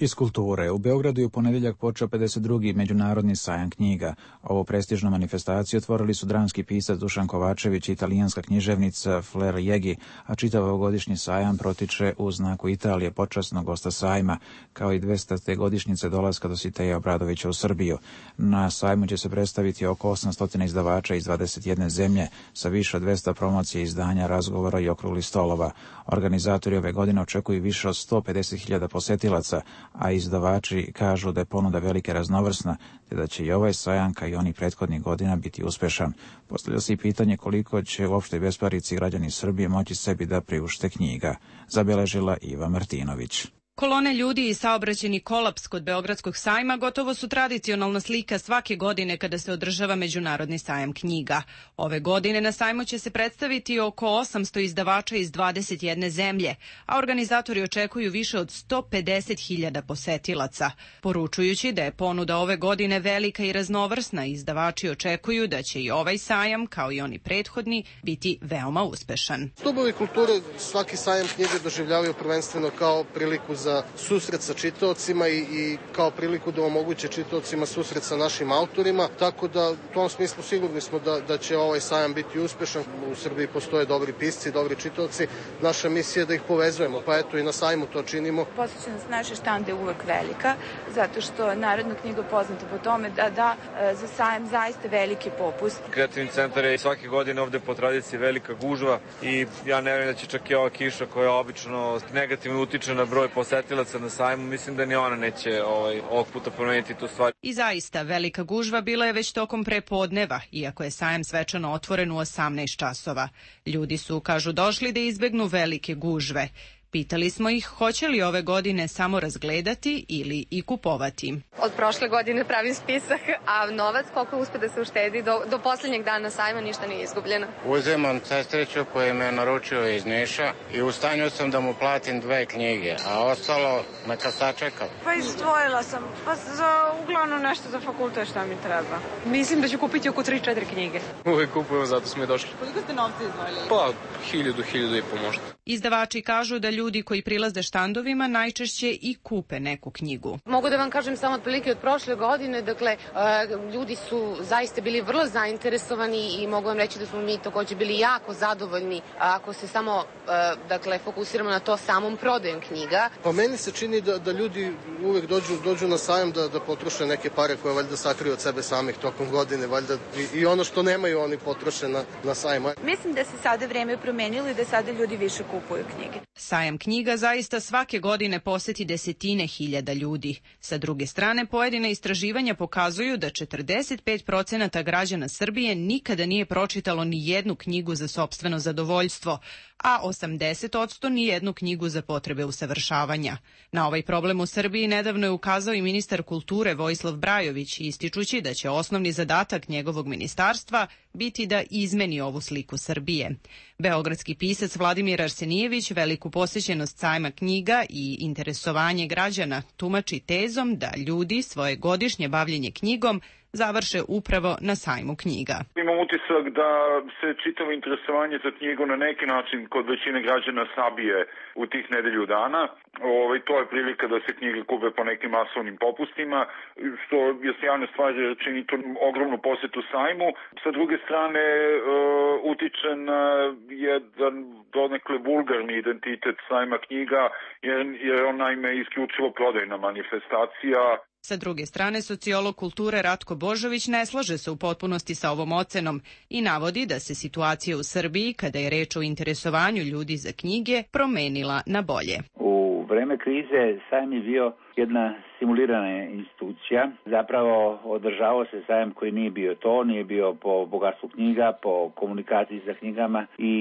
Iz kulture. U Beogradu je u ponedjeljak počeo pedeset drugi Međunarodni sajam knjiga. Ovu prestižnu manifestaciju otvorili su dramski pisac Dušan Kovačević i italijanska književnica Flair Jegi, a čitav ovogodišnji sajam protiče u znaku Italije, počasnog gosta sajma, kao i dvestate godišnjice dolaska Dositeja Obradovića u Srbiju. Na sajmu će se predstaviti oko osamsto izdavača iz dvadeset jedne zemlje sa više od dvesta promocije, izdanja, razgovora i okruglih stolova. Organizatori ove godine očekuju više od sto pedeset hiljada posetilaca, a izdavači kažu da je ponuda velike raznovrsna, te da će i ovaj sajam, kao i onih prethodnih godina, biti uspešan. Postavlja se i pitanje koliko će u opštoj besparici građani Srbije moći sebi da priušte knjiga, zabeležila Iva Martinović. Kolone ljudi i saobraćajni kolaps kod Beogradskog sajma gotovo su tradicionalna slika svake godine kada se održava Međunarodni sajam knjiga. Ove godine na sajmu će se predstaviti oko osamsto izdavača iz dvadeset jedne zemlje, a organizatori očekuju više od sto pedeset hiljada posetilaca. Poručujući da je ponuda ove godine velika i raznovrsna, izdavači očekuju da će i ovaj sajam, kao i oni prethodni, biti veoma uspešan. Stubovi kulture svaki sajam knjige doživljavaju prvenstveno kao priliku za za susret sa čitaocima i, i kao priliku da omoguće čitaocima susret sa našim autorima, tako da u tom smislu sigurni smo da, da će ovaj sajam biti uspešan. U Srbiji postoje dobri pisci, dobri čitaoci. Naša misija je da ih povezujemo, pa eto i na sajmu to činimo. Posvećenost naše štande je uvek velika, zato što Narodna knjiga poznata po tome da da za sajam zaista veliki popust. Kreativni centar je svake godine ovde po tradiciji velika gužva i ja ne vjerujem da će čak i ova kiša koja obično negativno utiče na broj posetilaca na sajmu, mislim da ni ona neće ovaj, ovog puta promeniti tu stvar. I zaista, velika gužva bila je već tokom prepodneva, iako je sajam svečano otvoren u osamnaest časova. Ljudi su, kažu, došli da izbegnu velike gužve. Pitali smo ih hoće li ove godine samo razgledati ili i kupovati. Od prošle godine pravim spisak, a novac koliko uspe da se uštedi do, do posljednjeg dana sajma ništa nije izgubljeno. Uzemam sestriću koji me naručio iz Niša i u stanju sam da mu platim dve knjige, a ostalo neka sačeka. Pa izdvojila sam, pa za uglavnom nešto za fakultet šta mi treba. Mislim da ću kupiti oko tri četiri knjige. Uvijek kupujemo, zato smo i došli. Koliko ste novci izdvojili? Pa, hiljadu, hiljadu i po možda. Izdavači kažu da ljudi koji prilaze štandovima najčešće i kupe neku knjigu. Mogu da vam kažem samo otprilike od prošle godine, dakle, ljudi su zaista bili vrlo zainteresovani i mogu vam reći da smo mi takođe bili jako zadovoljni ako se samo, dakle, fokusiramo na to samom prodajom knjiga. Pa meni se čini da, da ljudi uvek dođu, dođu na sajam da, da potroše neke pare koje valjda sakriju od sebe samih tokom godine, valjda i, i ono što nemaju oni potroše na, na sajmu. Mislim da se sada vreme promenilo i da sada ljudi više kupuju knjige. Sajam knjiga zaista svake godine poseti desetine hiljada ljudi. Sa druge strane, pojedine istraživanja pokazuju da četrdeset pet procenata građana Srbije nikada nije pročitalo ni jednu knjigu za sopstveno zadovoljstvo, a osamdeset posto ni jednu knjigu za potrebe usavršavanja. Na ovaj problem u Srbiji nedavno je ukazao i ministar kulture Vojislav Brajović, ističući da će osnovni zadatak njegovog ministarstva biti da izmeni ovu sliku Srbije. Beogradski pisac Vladimir Arsenijević veliku posjećenost sajma knjiga i interesovanje građana tumači tezom da ljudi svoje godišnje bavljenje knjigom završe upravo na sajmu knjiga. Imam utisak da se čitavo interesovanje za knjigu na neki način kod većine građana sabije u tih nedelju dana. Ovaj, to je prilika da se knjige kupe po nekim masovnim popustima, što je sjajna stvar jer čini to ogromnu posetu sajmu. Sa druge strane, uh, utiče na jedan donekle vulgarni identitet sajma knjiga, jer, jer on naime isključivo prodajna manifestacija. Sa druge strane, sociolog kulture Ratko Božović ne slaže se u potpunosti sa ovom ocenom i navodi da se situacija u Srbiji, kada je reč o interesovanju ljudi za knjige, promenila na bolje. U vreme krize sajam je bio jedna simulirana institucija. Zapravo održavao se sajam koji nije bio to, nije bio po bogatstvu knjiga, po komunikaciji sa knjigama i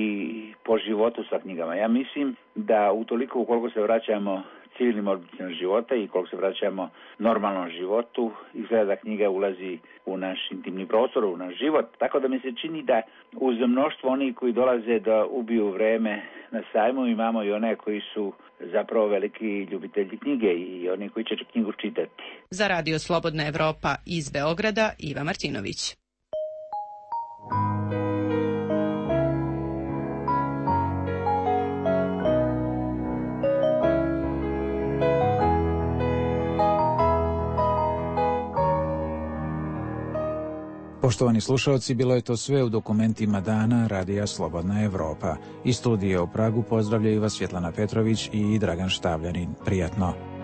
po životu sa knjigama. Ja mislim da utoliko ukoliko se vraćamo civilnim oblicima života i koliko se vraćamo normalnom životu, izgleda da knjiga ulazi u naš intimni prostor, u naš život. Tako da mi se čini da uz mnoštvo onih koji dolaze da ubiju vreme na sajmu imamo i one koji su zapravo veliki ljubitelji knjige i oni koji će knjigu čitati. Za Radio Slobodna Evropa iz Beograda, Iva Martinović. Poštovani slušalci, bilo je to sve u dokumentima dana Radija Slobodna Evropa. Iz studija u Pragu pozdravljaju vas Svjetlana Petrović i Dragan Štavljanin. Prijatno.